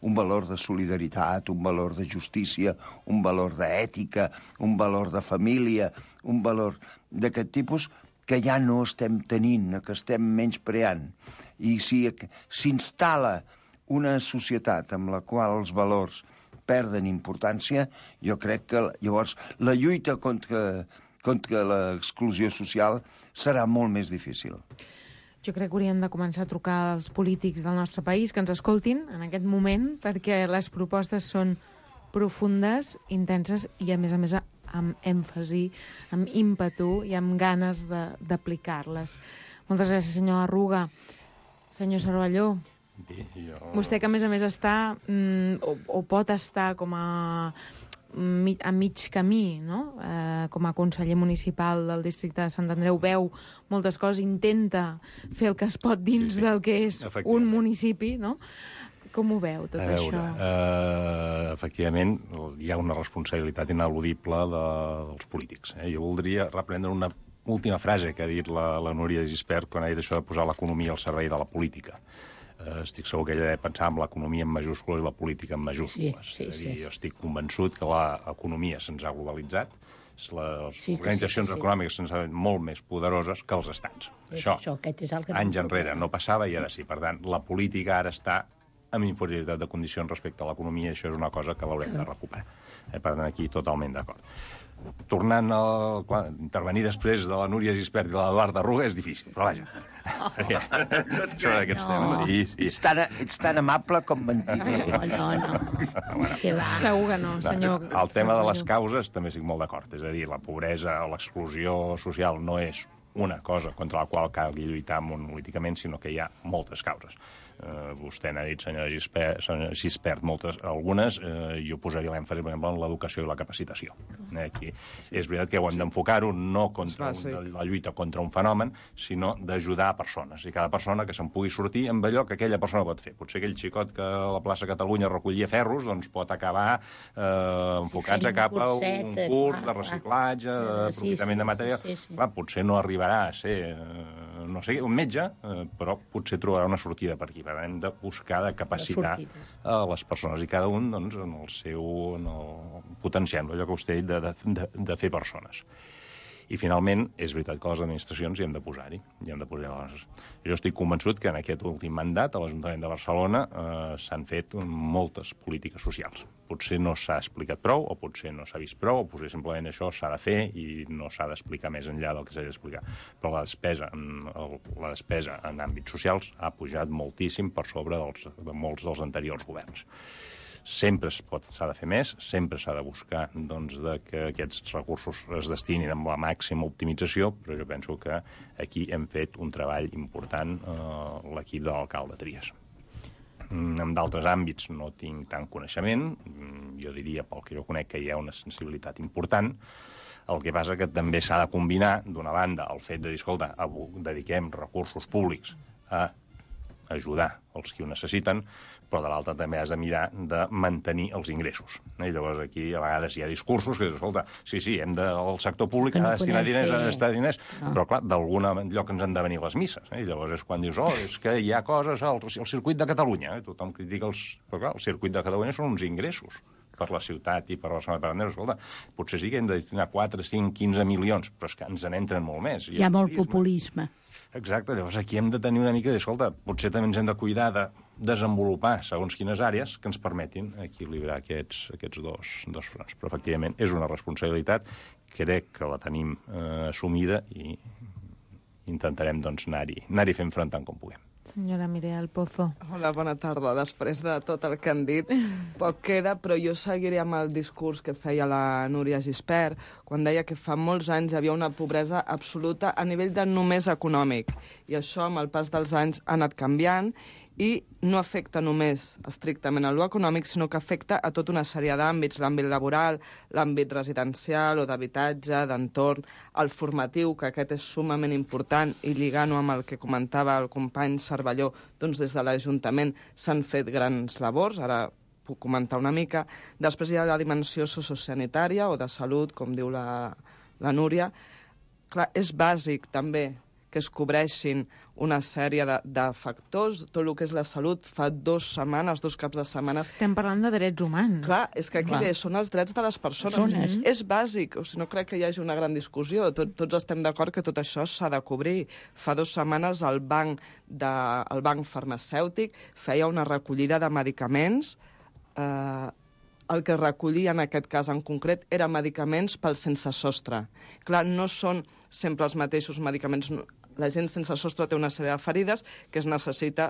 un valor de solidaritat, un valor de justícia, un valor d'ètica, un valor de família, un valor d'aquest tipus que ja no estem tenint, que estem menyspreant. I si s'instal·la una societat amb la qual els valors perden importància, jo crec que llavors la lluita contra, contra l'exclusió social serà molt més difícil. Jo crec que hauríem de començar a trucar als polítics del nostre país que ens escoltin en aquest moment, perquè les propostes són profundes, intenses i, a més a més, amb èmfasi, amb ímpetu i amb ganes d'aplicar-les. Moltes gràcies, senyor Arruga. Senyor Cervelló, Bé, jo... vostè que, a més a més, està mm, o, o pot estar com a, a mig camí, no? Eh, com a conseller municipal del districte de Sant Andreu, veu moltes coses, intenta fer el que es pot dins sí, sí. del que és un municipi, no? Com ho veu, tot a veure, això? Eh, efectivament, hi ha una responsabilitat ineludible de, dels polítics. Eh? Jo voldria reprendre una última frase que ha dit la, la Núria Gispert quan ha dit això de posar l'economia al servei de la política. Eh, estic segur que ella ha de pensar en l'economia en majúscules i la política en majúscules. Sí, sí, és a dir, sí. Jo estic convençut que l'economia se'ns ha globalitzat, les sí, organitzacions sí, sí. econòmiques se'ns han molt més poderoses que els estats. Sí, això, això aquest és el gran anys enrere problema. no passava i ara sí. Per tant, la política ara està amb inferioritat de condicions respecte a l'economia, i això és una cosa que l'haurem de recuperar. Eh, per tant, aquí totalment d'acord. tornant a clar, intervenir després de la Núria Gispert i l'Eduard Arruga és difícil, però vaja. Oh. Això d'aquests no. temes. Sí, sí. Ets, tan, ets tan amable com mentider. No, no, no. Que va. Segur que no, senyor. El tema de les causes també estic molt d'acord. És a dir, la pobresa o l'exclusió social no és una cosa contra la qual calgui lluitar monolíticament, sinó que hi ha moltes causes. Uh, vostè n'ha dit, senyora Gispert, senyora Gispert moltes, algunes, uh, jo posaria l'èmfasi, per exemple, en l'educació i la capacitació. Eh, aquí és veritat que ho hem d'enfocar-ho no contra sí. un, la lluita contra un fenomen, sinó d'ajudar persones, i cada persona que se'n pugui sortir amb allò que aquella persona pot fer. Potser aquell xicot que a la plaça Catalunya recollia ferros, doncs pot acabar eh, enfocant-se cap a un curs de reciclatge, d'aprofitament de material. Sí, sí, sí. Clar, potser no arribarà a ser, eh, no sé, un metge, eh, però potser trobarà una sortida per aquí. Hem de buscar de capacitar a les persones i cada un doncs, en el seu en el, potenciant allò que vostè ha dit de, de, de fer persones. I finalment, és veritat que les administracions hi hem de posar-hi. Hi hem de posar les... Jo estic convençut que en aquest últim mandat a l'Ajuntament de Barcelona eh, s'han fet moltes polítiques socials. Potser no s'ha explicat prou, o potser no s'ha vist prou, o potser simplement això s'ha de fer i no s'ha d'explicar més enllà del que s'ha d'explicar. Però la despesa, en, el, la despesa en àmbits socials ha pujat moltíssim per sobre dels, de molts dels anteriors governs. Sempre s'ha de fer més, sempre s'ha de buscar doncs, de que aquests recursos es destinin amb la màxima optimització, però jo penso que aquí hem fet un treball important eh, l'equip de l'alcalde Trias. En d'altres àmbits no tinc tant coneixement, jo diria, pel que jo conec, que hi ha una sensibilitat important. El que passa que també s'ha de combinar, d'una banda, el fet de dir, escolta, dediquem recursos públics a ajudar els qui ho necessiten, però de l'altra també has de mirar de mantenir els ingressos. I llavors aquí a vegades hi ha discursos que dius, escolta, sí, sí, hem de, el sector públic ha de destinar diners, ha de destinar diners, no. Però clar, d'algun lloc ens han de venir les misses. Eh? I llavors és quan dius, oh, és que hi ha coses, el, el circuit de Catalunya, eh? Tothom critica els... Però clar, el circuit de Catalunya són uns ingressos per la ciutat i per Barcelona per Andrés. Escolta, potser sí que hem de destinar quatre, cinc, quinze milions, però és que ens n'entren molt més. Hi ha molt populisme. Exacte, llavors aquí hem de tenir una mica d'escolta, potser també ens hem de cuidar de desenvolupar segons quines àrees que ens permetin equilibrar aquests, aquests dos, dos fronts. Però efectivament és una responsabilitat, crec que la tenim eh, assumida i intentarem doncs, anar-hi anar-hi fent front tant com puguem. Senyora Mireia Pozo. Hola, bona tarda. Després de tot el que han dit, poc queda, però jo seguiré amb el discurs que feia la Núria Gispert, quan deia que fa molts anys hi havia una pobresa absoluta a nivell de només econòmic. I això, amb el pas dels anys, ha anat canviant i no afecta només estrictament a l'econòmic, sinó que afecta a tota una sèrie d'àmbits, l'àmbit laboral, l'àmbit residencial o d'habitatge, d'entorn, el formatiu, que aquest és sumament important, i lligant-ho amb el que comentava el company Cervelló, doncs des de l'Ajuntament s'han fet grans labors, ara puc comentar una mica. Després hi ha la dimensió sociosanitària o de salut, com diu la, la Núria. Clar, és bàsic també que es cobreixin una sèrie de, de factors, tot el que és la salut. Fa dues setmanes, dos caps de setmana... Estem parlant de drets humans. Clar, és que aquí bé, són els drets de les persones. Persones. És bàsic, o sigui, no crec que hi hagi una gran discussió. Tot, tots estem d'acord que tot això s'ha de cobrir. Fa dues setmanes el banc, de, el banc farmacèutic feia una recollida de medicaments. Eh, el que recollia en aquest cas en concret era medicaments pel sense sostre. Clar, no són sempre els mateixos medicaments. La gent sense sostre té una sèrie de ferides que es necessita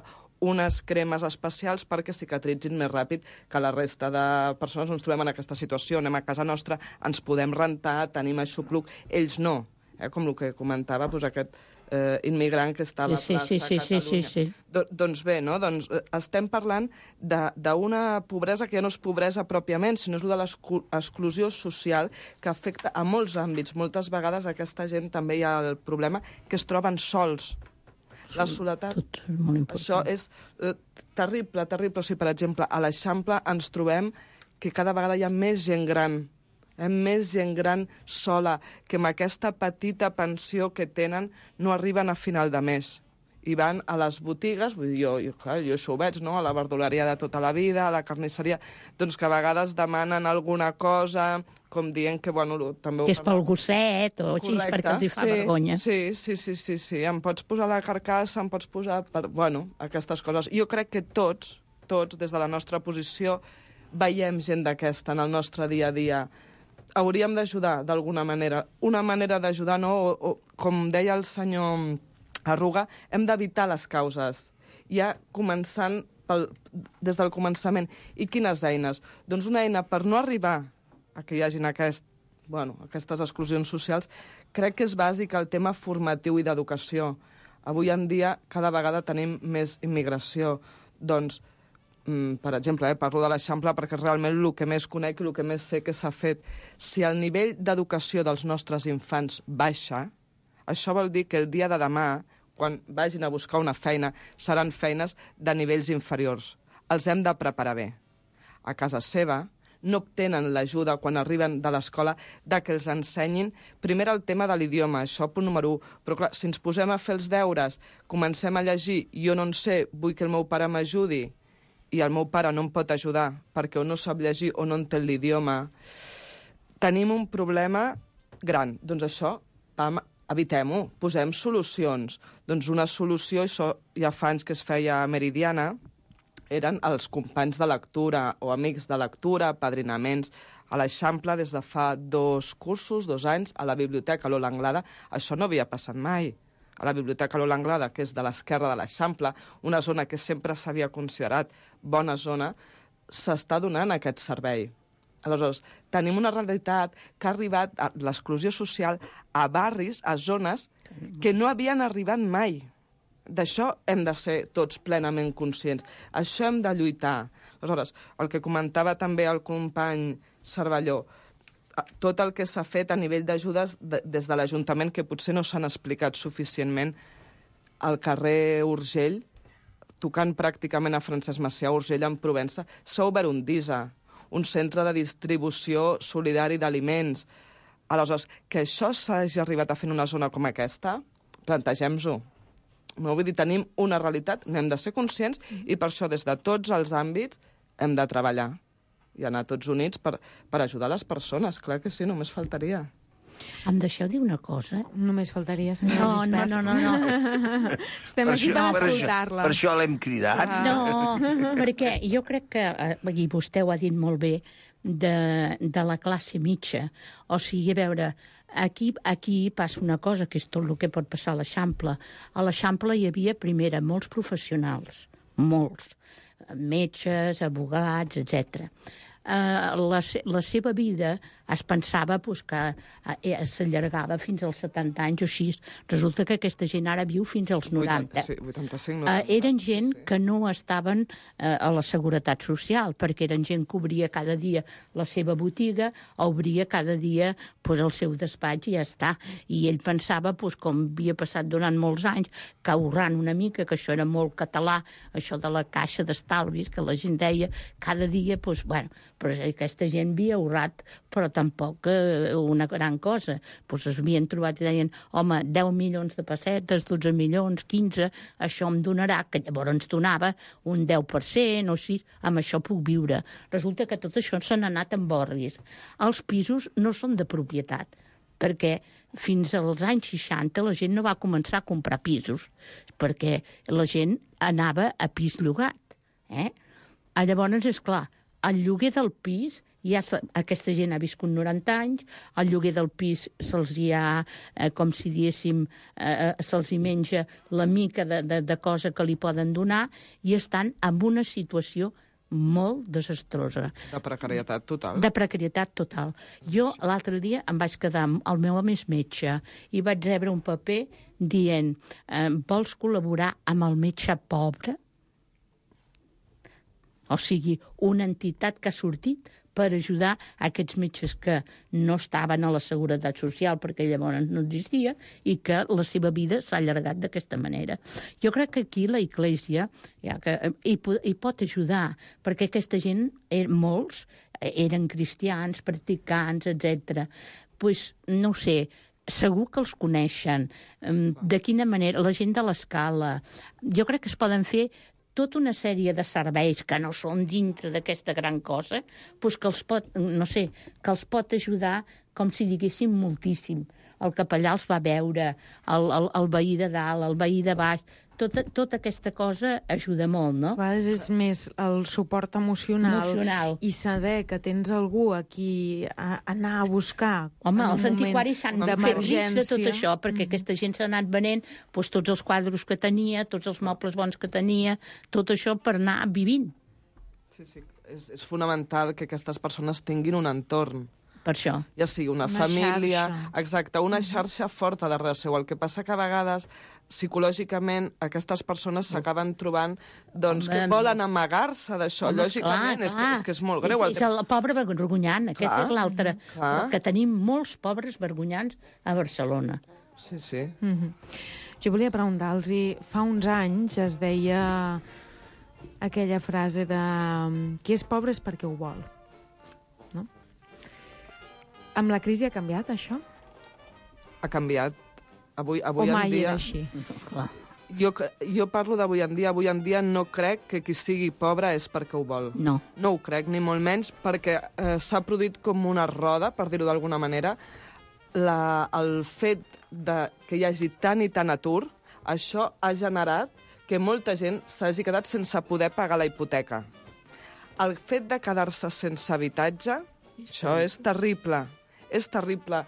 unes cremes especials perquè cicatritzin més ràpid que la resta de persones. Ens trobem en aquesta situació, anem a casa nostra, ens podem rentar, tenim aixopluc, ells no. Eh? Com el que comentava, doncs aquest eh, immigrant que està a la sí, plaça sí, sí, Catalunya. Sí, sí, sí. Do, doncs bé, no? doncs, eh, estem parlant d'una pobresa que ja no és pobresa pròpiament, sinó és de l'exclusió social que afecta a molts àmbits. Moltes vegades aquesta gent també hi ha el problema que es troben sols. La soledat, tot és molt important. Això és eh, terrible, terrible. O sigui, per exemple, a l'Eixample ens trobem que cada vegada hi ha més gent gran, eh, més gent gran sola, que amb aquesta petita pensió que tenen no arriben a final de mes. I van a les botigues, vull dir, jo, jo, clar, jo això ho veig, no?, a la verduleria de tota la vida, a la carnisseria, doncs que a vegades demanen alguna cosa, com dient que, bueno, també... Que és pel gosset o així, perquè els hi fa sí, vergonya. Sí, sí, sí, sí, sí, em pots posar la carcassa, em pots posar... Per, bueno, aquestes coses. Jo crec que tots, tots, des de la nostra posició, veiem gent d'aquesta en el nostre dia a dia. hauríem d'ajudar d'alguna manera. Una manera d'ajudar, no? O, o, com deia el senyor Arruga, hem d'evitar les causes. Ja començant pel, des del començament. I quines eines? Doncs una eina per no arribar a que hi hagin aquest, bueno, aquestes exclusions socials, crec que és bàsic el tema formatiu i d'educació. Avui en dia cada vegada tenim més immigració. Doncs, per exemple, eh, parlo de l'Eixample perquè realment el que més conec i el que més sé que s'ha fet. Si el nivell d'educació dels nostres infants baixa, això vol dir que el dia de demà, quan vagin a buscar una feina, seran feines de nivells inferiors. Els hem de preparar bé. A casa seva no obtenen l'ajuda quan arriben de l'escola de que els ensenyin primer el tema de l'idioma, això punt número u. Però clar, si ens posem a fer els deures, comencem a llegir, jo no en sé, vull que el meu pare m'ajudi, i el meu pare no em pot ajudar perquè o no sap llegir o no entén l'idioma, tenim un problema gran. Doncs això, pam, evitem-ho, posem solucions. Doncs una solució, això ja fa anys que es feia a Meridiana, eren els companys de lectura o amics de lectura, padrinaments. A l'Eixample, des de fa dos cursos, dos anys, a la Biblioteca Lola Anglada, això no havia passat mai. A la Biblioteca Lola Anglada, que és de l'esquerra de l'Eixample, una zona que sempre s'havia considerat bona zona, s'està donant aquest servei. Aleshores, tenim una realitat que ha arribat a l'exclusió social a barris, a zones que no havien arribat mai. D'això hem de ser tots plenament conscients. Això hem de lluitar. Aleshores, el que comentava també el company Cervelló, tot el que s'ha fet a nivell d'ajudes de, des de l'Ajuntament, que potser no s'han explicat suficientment, al carrer Urgell, tocant pràcticament a Francesc Macià, Urgell en Provença, s'ha obert un D I S A, un centre de distribució solidari d'aliments. Aleshores, que això s'hagi arribat a fer en una zona com aquesta, plantegem-ho. No, vull dir, tenim una realitat, n'hem de ser conscients i per això des de tots els àmbits hem de treballar i anar tots units per, per ajudar les persones. Clar que sí, només faltaria. Em deixeu dir una cosa? Només faltaria, senyora no, Gispert. No, no, no, no. Estem per aquí això, per escoltar-la. Per això l'hem cridat. Ah. No, perquè jo crec que, i vostè ho ha dit molt bé, de, de la classe mitja. O sigui, a veure, aquí, aquí passa una cosa, que és tot el que pot passar a l'Eixample. A l'Eixample hi havia, primera, molts professionals, molts, metges, abogats, etcètera. Uh, la, la seva vida es pensava pues, que uh, s'allargava fins als setanta anys o així. Resulta que aquesta gent ara viu fins als noranta. vuitanta-cinc, noranta. Uh, eren gent sí. que no estaven uh, a la Seguretat Social, perquè eren gent que obria cada dia la seva botiga, o obria cada dia pues, el seu despatx i ja està. I ell pensava, pues, com havia passat durant molts anys, que ahorrant una mica, que això era molt català, això de la caixa d'estalvis, que la gent deia cada dia, pues, bueno, però aquesta gent havia ahorrat, però tampoc eh, una gran cosa. Pues es havien trobat i deien, home, deu milions de pessetes, dotze milions, quinze, això em donarà, que llavors ens donava un deu per cent o sis, amb això puc viure. Resulta que tot això s'han anat en borris. Els pisos no són de propietat, perquè fins als anys seixanta la gent no va començar a comprar pisos, perquè la gent anava a pis llogat. Eh? Llavors, és clar, el lloguer del pis, ja aquesta gent ha viscut noranta anys, el lloguer del pis se'ls hi ha, eh, com si diéssim, eh, se'ls hi menja la mica de, de, de cosa que li poden donar i estan en una situació molt desastrosa. De precarietat total. De precarietat total. Jo l'altre dia em vaig quedar amb el meu home és metge i vaig rebre un paper dient eh, vols col·laborar amb el metge pobre? O sigui, una entitat que ha sortit per ajudar a aquests metges que no estaven a la Seguretat Social perquè llavors no existia i que la seva vida s'ha allargat d'aquesta manera. Jo crec que aquí la Iglésia ja que, hi, hi pot ajudar, perquè aquesta gent, er, molts, eren cristians, practicants, etcètera. Pues, no ho sé, segur que els coneixen. De quina manera? La gent de l'Escala. Jo crec que es poden fer tota una sèrie de serveis que no són dintre d'aquesta gran cosa, doncs que els pot, no sé, que els pot ajudar, com si diguéssim, moltíssim. El capellà els va veure, el, el, el veí de dalt, el veí de baix, tota, tota aquesta cosa ajuda molt, no? A vegades és més el suport emocional, Emocional. i saber que tens algú a qui a, anar a buscar. Home, en un els antiquaris s'han moment fet rics de tot d'emergència. això, perquè aquesta gent s'ha anat venent doncs, tots els quadros que tenia, tots els mobles bons que tenia, tot això per anar vivint. Sí, sí. És, és fonamental que aquestes persones tinguin un entorn. Per això. Ja sigui una, Una família... xarxa. Exacte, una xarxa forta darrere seu. El que passa que a vegades, psicològicament, aquestes persones s'acaben trobant doncs, que Home, volen amagar-se d'això. Home, Lògicament, clar, és, que, clar. és que és molt greu. És, és el pobre vergonyant, aquest Clar, és l'altre. clar. Que tenim molts pobres vergonyants a Barcelona. Sí, sí. Mm-hmm. Jo volia preguntar-los, fa uns anys es deia aquella frase de qui és pobre és perquè ho vol. No? Amb la crisi ha canviat, això? Ha canviat. Avui, avui o en mai dia... era així? Jo, jo parlo d'avui en dia. Avui en dia no crec que qui sigui pobre és perquè ho vol. No. No ho crec, ni molt menys, perquè eh, s'ha produït com una roda, per dir-ho d'alguna manera. La, el fet de que hi hagi tant i tant atur, això ha generat que molta gent s'hagi quedat sense poder pagar la hipoteca. El fet de quedar-se sense habitatge, això és terrible. És terrible.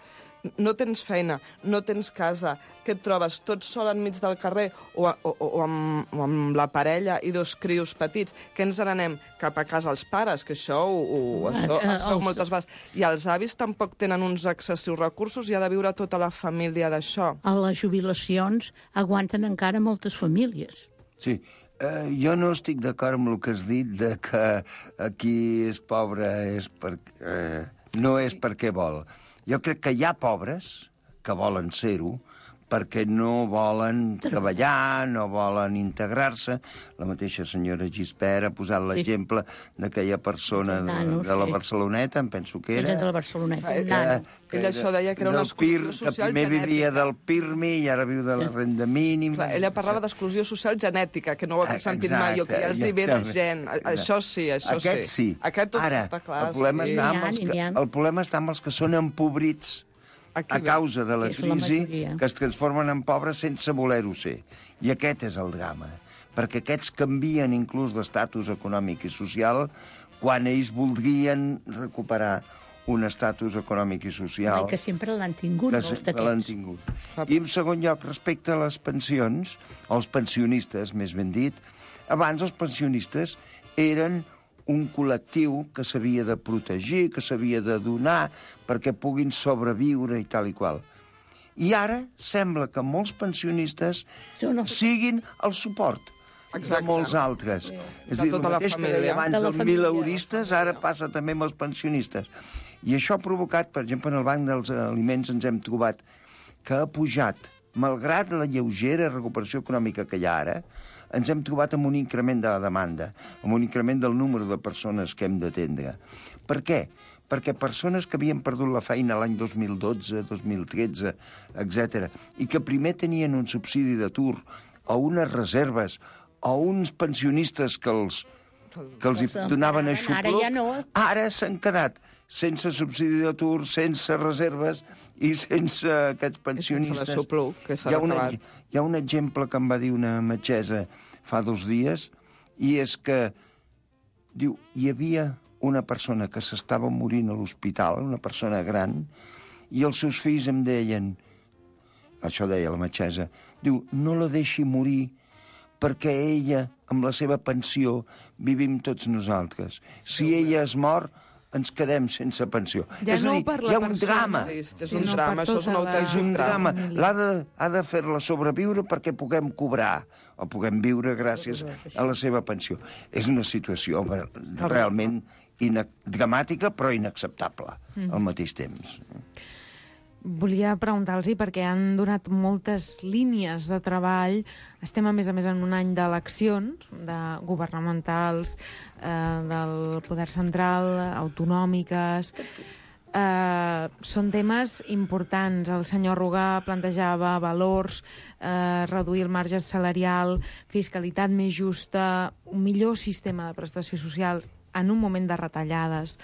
No tens feina, no tens casa, que et trobes tot sol enmig del carrer o, o, o, amb, o amb la parella i dos crios petits, que ens n'anem cap a casa els pares, que això ho, ho, això Eh, es veu els- moltes vegades. I els avis tampoc tenen uns excessius recursos i ha de viure tota la família d'això. A les jubilacions aguanten encara moltes famílies. Sí, eh, jo no estic d'acord amb el que has dit de que aquí és pobre és perquè, eh, no és perquè vol. Jo crec que hi ha pobres que volen ser-ho perquè no volen treballar, no volen integrar-se. La mateixa senyora Gispert ha posat l'exemple d'aquella persona de, Nano, de la sí. Barceloneta, em penso que era. Era de la Barceloneta, Eh, un que- nano. que ella això deia que era una del P I R, exclusió social que primer vivia genètica. del P I R M I i ara viu de la renda mínima. Clar, ella parlava d'exclusió social genètica, que no ho havia sentit Exacte, mai, o que ja els hi ve de exacte. gent. A- Això sí, això Aquest sí. sí. Aquest tot Ara, està clar. el problema, sí. està amb N'hi ha, els que, n'hi ha. el problema està amb els que són empobrits Aquí a ve. causa de la Que és la crisi, majoria. que es transformen en pobres sense voler-ho ser. I aquest és el drama, perquè aquests canvien inclús d'estatus econòmic i social quan ells voldrien recuperar un estatus econòmic i social I que sempre l'han tingut, que molts sempre l'han d'aquests. tingut. I en segon lloc, respecte a les pensions, els pensionistes, més ben dit, abans els pensionistes eren un col·lectiu que s'havia de protegir, que s'havia de donar perquè puguin sobreviure i tal i qual. I ara sembla que molts pensionistes siguin el suport Exacte. de molts altres. Sí. És De a dir, tota el la mateix que família. deia abans De la dels família. mileuristes, ara passa també amb els pensionistes. I això ha provocat, per exemple, en el Banc dels Aliments ens hem trobat que ha pujat, malgrat la lleugera recuperació econòmica que hi ha ara, ens hem trobat amb un increment de la demanda, amb un increment del número de persones que hem d'atendre. Per què? Perquè persones que havien perdut la feina l'any dos mil dotze, dos mil tretze, etcètera, i que primer tenien un subsidi d'atur o unes reserves o uns pensionistes que els, que els hi Doncs, donaven ara aixopluc, ja no. ara s'han quedat sense subsidi d'atur, sense reserves i sense aquests pensionistes. sense l'aixopluc, que s'ha Hi ha un acabat. ex- Hi ha un exemple que em va dir una metgessa fa dos dies, i és que, diu, hi havia una persona que s'estava morint a l'hospital, una persona gran, i els seus fills em deien, això deia la metgessa, diu, no la deixi morir perquè ella, amb la seva pensió, vivim tots nosaltres. Si ella es mor, ens quedem sense pensió. Ja és a no dir, per la hi ha un persona, drama. És Sí, un no, drama, per això és un tota la- autèntic És un drama. família. L'ha de, ha de fer-la sobreviure perquè puguem cobrar o puguem viure gràcies a la seva pensió. És una situació ver- realment ina- dramàtica, però inacceptable al mateix temps. Volia preguntar-los, perquè han donat moltes línies de treball. Estem, a més a més, en un any d'eleccions de governamentals, eh, del poder central, autonòmiques. Eh, són temes importants. El senyor Rugà plantejava valors, eh, reduir el marge salarial, fiscalitat més justa, un millor sistema de prestació social en un moment de retallades.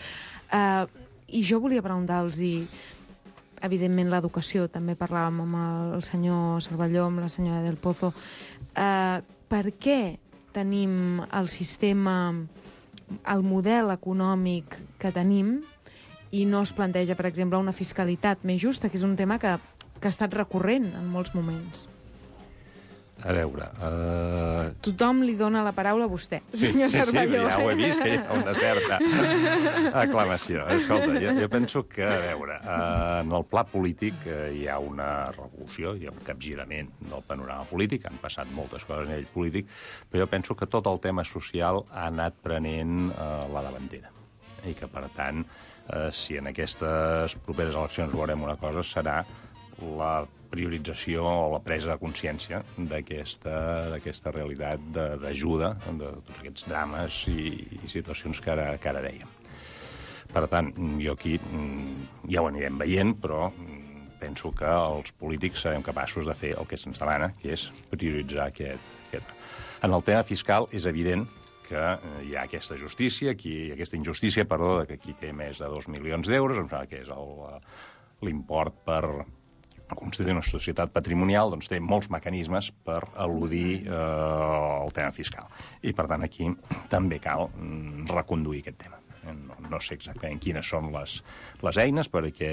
Eh, I jo volia preguntar-los evidentment, l'educació. També parlàvem amb el senyor Cervelló, amb la senyora Del Pozo. Eh, per què tenim el sistema, el model econòmic que tenim i no es planteja, per exemple, una fiscalitat més justa, que és un tema que, que ha estat recurrent en molts moments? A veure... Uh... Tothom li dona la paraula a vostè, sí, senyor Cervelló. Sí, ja ho he vist, que hi ha una certa aclamació. Escolta, jo, jo penso que, a veure, uh, en el pla polític uh, hi ha una revolució, hi ha un capgirament del panorama polític, han passat moltes coses a nivell polític, però jo penso que tot el tema social ha anat prenent uh, la davantera. I que, per tant, eh, si en aquestes properes eleccions veurem una cosa, serà la priorització o la presa de consciència d'aquesta realitat d'ajuda, de tots aquests drames i, i situacions que ara, que ara dèiem. Per tant, jo aquí ja ho anirem veient, però penso que els polítics serem capaços de fer el que se'ns demana, que és prioritzar aquest, aquest. En el tema fiscal és evident que hi ha aquesta justícia, aquí, aquesta injustícia, perdó, que qui té més de dos milions d'euros, em sembla que és l'import per constituir una societat patrimonial, doncs té molts mecanismes per eludir eh, el tema fiscal. I, per tant, aquí també cal mm, reconduir aquest tema. No, no sé exactament quines són les, les eines, perquè,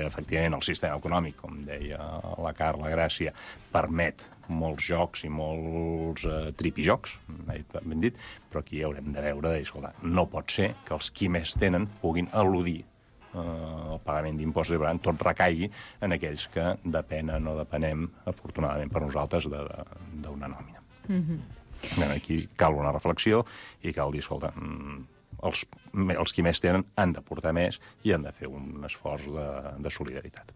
efectivament, el sistema econòmic, com deia la Carla Gràcia, permet molts jocs i molts eh, tripijocs, ben dit, però aquí haurem de veure, de, escolta, no pot ser que els qui més tenen puguin eludir eh, el pagament d'impostos i, per tant, tot recaigui en aquells que depenen o depenem, afortunadament per nosaltres, d'una nòmina. Mm-hmm. Aquí cal una reflexió i cal dir, escolta, els, els qui més tenen han de portar més i han de fer un esforç de, de solidaritat.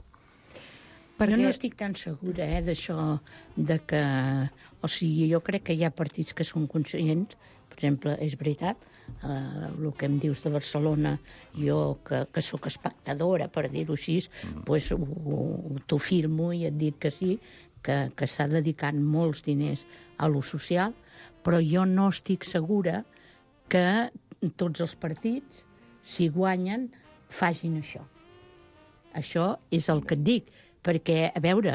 Perquè... Jo no estic tan segura eh, d'això, de que... O sigui, jo crec que hi ha partits que són conscients, per exemple, és veritat, eh, el que em dius de Barcelona, jo que, que sóc espectadora, per dir-ho així, mm. pues, t'ho filmo i et dic que sí, que, que s'ha dedicat molts diners a lo social, però jo no estic segura que tots els partits, si guanyen, facin això. Això és el que et dic. Perquè, a veure,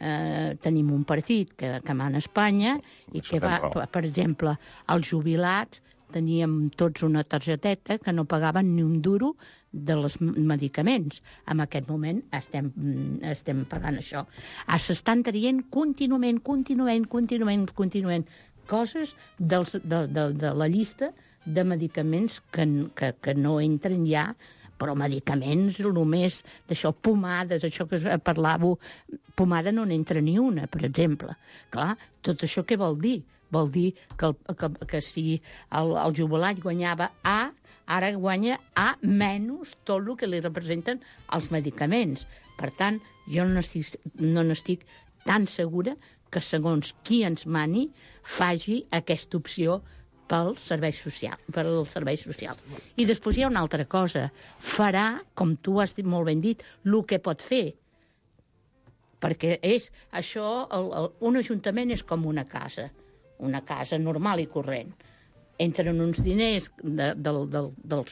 eh, tenim un partit que, que mana a Espanya i que va, per exemple, els jubilats teníem tots una targeteta que no pagaven ni un duro dels medicaments. En aquest moment estem, estem pagant això. S'estan traient contínuament, contínuament, contínuament, contínuament coses dels, de, de, de la llista de medicaments que, que, que no entren ja, però medicaments, només d'això, pomades, això que parlàveu, pomada no n'entra ni una, per exemple. Clar, tot això què vol dir? Vol dir que, el, que, que si el, el jubilat guanyava A, ara guanya A menys tot el que li representen els medicaments. Per tant, jo no n'estic no n'estic tan segura que segons qui ens mani faci aquesta opció pel servei social, per al servei social. I després hi ha una altra cosa. Farà, com tu has dit molt ben dit, el que pot fer. Perquè és això, el, el, un ajuntament és com una casa, una casa normal i corrent. Entren uns diners de, del, del, del,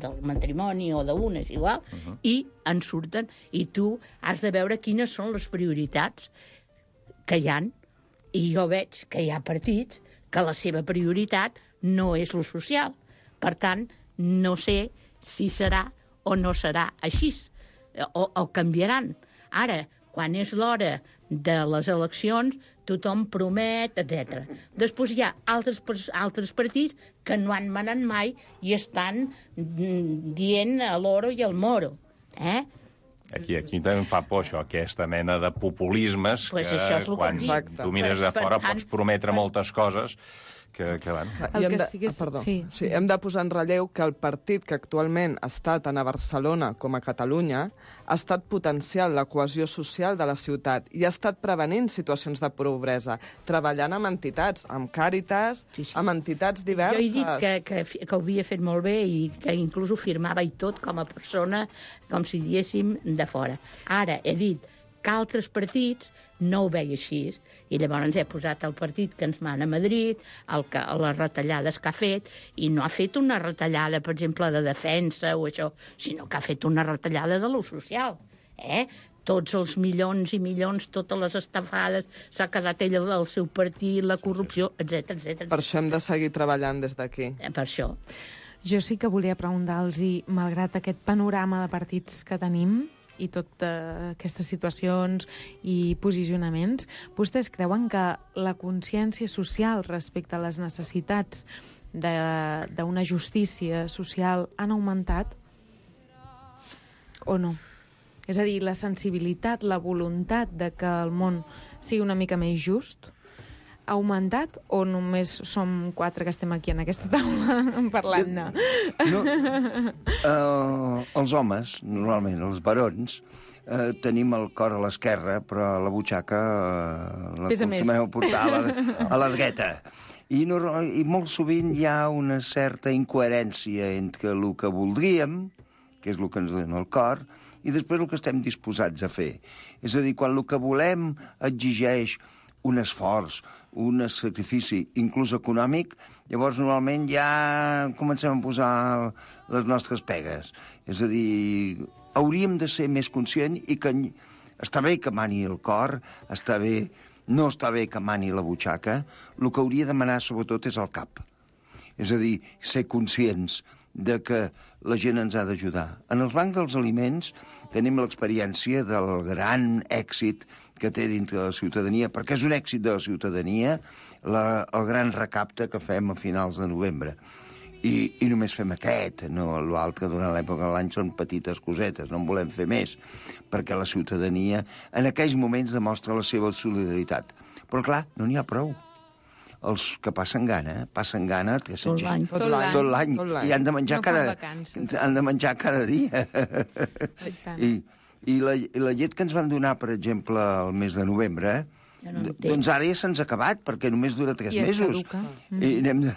del matrimoni o d'unes, igual, uh-huh. i en surten, i tu has de veure quines són les prioritats que hi ha. I jo veig que hi ha partits que la seva prioritat no és lo social. Per tant, no sé si serà o no serà així, o, o canviaran. Ara, quan és l'hora de les eleccions, tothom promet, etcètera. Després hi ha altres, altres partits que no han manat mai i estan dient a l'oro i al moro. Eh? Aquí, aquí també em fa por això, aquesta mena de populismes pues que quan que tu mires de fora per, pots prometre per... moltes coses que, que van... I hem de, ah, perdó. Sí, sí. Sí, hem de posar en relleu que el partit que actualment està tant a Barcelona com a Catalunya ha estat potenciant la cohesió social de la ciutat i ha estat prevenint situacions de pobresa, treballant amb entitats, amb Càritas, sí, sí. amb entitats diverses. Jo he dit que, que, que ho havia fet molt bé i que inclús ho firmava i tot com a persona, com si diéssim, de fora. Ara he dit que altres partits no ho veia així, i llavors he posat el partit que ens mana a Madrid, el que, les retallades que ha fet, i no ha fet una retallada, per exemple, de defensa o això, sinó que ha fet una retallada de lo social. eh? Tots els milions i milions, totes les estafades, s'ha quedat ell al seu partit, la corrupció, etcètera, etcètera. Per això hem de seguir treballant des d'aquí. Per això. Jo sí que volia preguntar-los, malgrat aquest panorama de partits que tenim i totes aquestes situacions i posicionaments, vostès creuen que la consciència social respecte a les necessitats d'una justícia social han augmentat o no? És a dir, la sensibilitat, la voluntat de que el món sigui una mica més just ha augmentat o només som quatre que estem aquí en aquesta taula parlant-ne? No, uh, els homes, normalment, els barons, uh, tenim el cor a l'esquerra, però la butxaca uh, la acostumem a portar a la, a la dreta. I, no, I molt sovint hi ha una certa incoherència entre el que voldríem, que és el que ens dona el cor, i després el que estem disposats a fer. És a dir, quan el que volem exigeix un esforç, un sacrifici, inclús econòmic, llavors normalment ja comencem a posar les nostres pegues. És a dir, hauríem de ser més conscients i que està bé que mani el cor, està bé, no està bé que mani la butxaca, el que hauria de manar sobretot és el cap. És a dir, ser conscients de que la gent ens ha d'ajudar. En els bancs dels aliments tenim l'experiència del gran èxit que té dintre de la ciutadania, perquè és un èxit de la ciutadania la, el gran recapte que fem a finals de novembre. I, i només fem aquest, no l'altre durant l'època de l'any són petites cosetes, no en volem fer més, perquè la ciutadania en aquells moments demostra la seva solidaritat. Però clar, no n'hi ha prou. Els que passen gana, passen gana tot l'any, tot l'any, tot l'any, i han de menjar no cada, han de menjar cada dia. I, i, la, I la llet que ens van donar, per exemple, el mes de novembre, ja no doncs ara ja se'ns ha acabat, perquè només dura tres I mesos. Mm. I, anem de,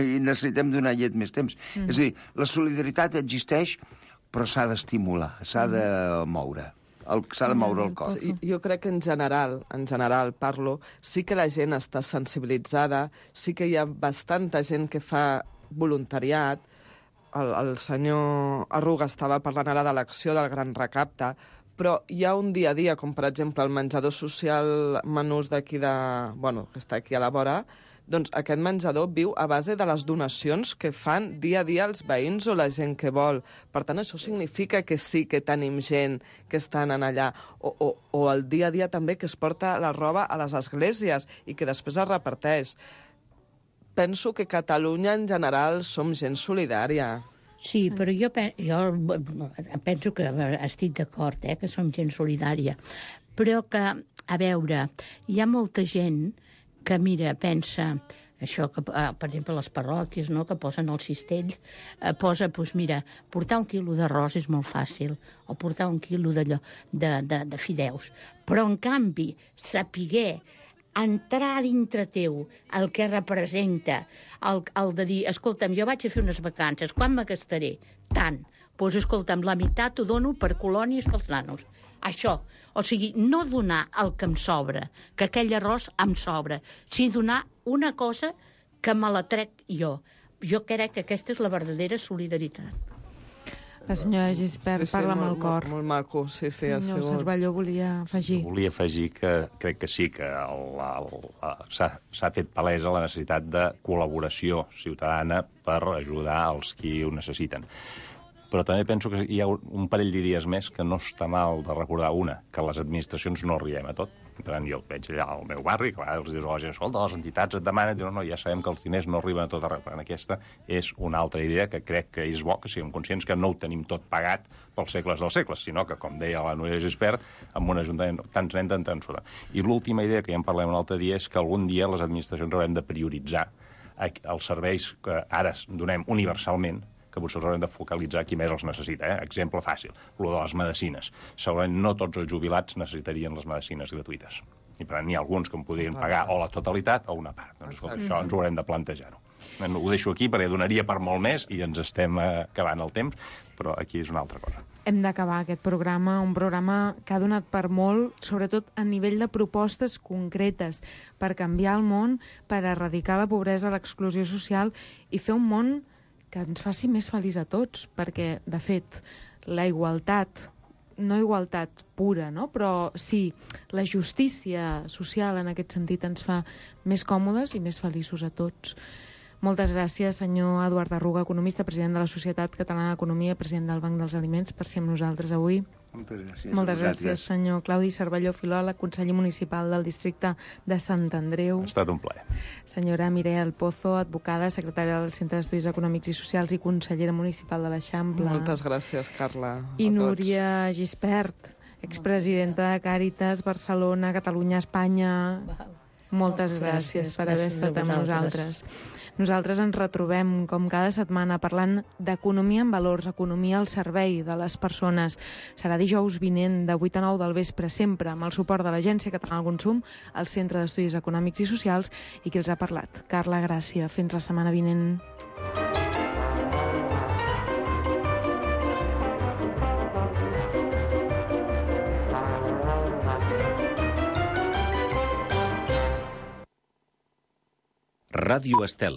I necessitem donar llet més temps. Mm. És a dir, la solidaritat existeix, però s'ha d'estimular, s'ha de moure. S'ha de moure el cos. Jo crec que en general, en general parlo, sí que la gent està sensibilitzada, sí que hi ha bastanta gent que fa voluntariat. El, el senyor Arruga estava parlant ara de l'acció del Gran Recapte, però hi ha un dia a dia, com per exemple el menjador social Menús d'aquí de... bueno, que està aquí a la vora, doncs aquest menjador viu a base de les donacions que fan dia a dia els veïns o la gent que vol. Per tant, això significa que sí que tenim gent que estan allà. O, o, o el dia a dia també que es porta la roba a les esglésies i que després es reparteix. Penso que Catalunya en general som gent solidària. Sí, però jo, jo penso que estic d'acord, eh, que som gent solidària. Però que, a veure, hi ha molta gent que, mira, pensa, això, que, per exemple, les parròquies, no?, que posen els cistells, eh, posa, doncs mira, portar un quilo d'arròs és molt fàcil, o portar un quilo d'allò, de, de, de fideus. Però, en canvi, sapiguer entrar dintre teu el que representa, el, el de dir, escolta'm, jo vaig a fer unes vacances, quan me gastaré? Tant. Doncs, escolta'm, la meitat ho dono per colònies pels nanos. Això. O sigui, no donar el que em sobra, que aquell arròs em sobra, sinó donar una cosa que me la trec jo. Jo crec que aquesta és la verdadera solidaritat. La senyora Gispert sí, sí, parla amb el cor. Molt, molt maco, sí, sí. Senyor Cervelló volia afegir. Volia afegir que crec que sí, que s'ha fet palesa la necessitat de col·laboració ciutadana per ajudar els qui ho necessiten. Però també penso que hi ha un parell d'idees més que no està mal de recordar. Una, que les administracions no arribem a tot. Per tant, jo veig allà al meu barri, que els dius a la gent, escolta, les entitats et demanen, diuen, no, ja sabem que els diners no arriben a tot arreu. Per tant, aquesta és una altra idea que crec que és bo, que siguem conscients que no ho tenim tot pagat pels segles dels segles, sinó que, com deia la Núria Gispert, amb un ajuntament tants nens en tants sota. I l'última idea, que ja en parlem un altre dia, és que algun dia les administracions haurem de prioritzar els serveis que ara donem universalment, que potser haurem de focalitzar qui més els necessita. Eh? Exemple fàcil, el de les medicines. Segurament no tots els jubilats necessitarien les medicines gratuïtes. I per tant, n'hi ha alguns que en podrien pagar o la totalitat o una part. Doncs, escolta, això ens ho haurem de plantejar-ho. Ho deixo aquí perquè donaria per molt més i ens estem acabant el temps, però aquí és una altra cosa. Hem d'acabar aquest programa, un programa que ha donat per molt, sobretot a nivell de propostes concretes per canviar el món, per erradicar la pobresa, l'exclusió social i fer un món que ens faci més feliç a tots, perquè, de fet, la igualtat no igualtat pura, no? Però sí, la justícia social en aquest sentit ens fa més còmodes i més feliços a tots. Moltes gràcies, senyor Eduard Arruga, economista, president de la Societat Catalana d'Economia, president del Banc dels Aliments, per ser amb nosaltres avui. Moltes gràcies. Moltes gràcies, senyor Claudi Cervelló, filòleg, conseller municipal del districte de Sant Andreu. Ha estat un plaer. Senyora Mireia Alpozo, advocada, secretària del Centre d'Estudis Econòmics i Socials i consellera municipal de l'Eixample. Moltes gràcies, Carla. I Núria Gispert, expresidenta de Càritas, Barcelona, Catalunya, Espanya. Moltes gràcies per haver estat amb nosaltres. Nosaltres ens retrobem, com cada setmana, parlant d'economia en valors, economia al servei de les persones. Serà dijous vinent, de vuit a nou del vespre, sempre amb el suport de l'Agència Catalana del Consum, el Centre d'Estudis Econòmics i Socials, i qui els ha parlat. Carla Gràcia. Fins la setmana vinent. Ràdio Estel.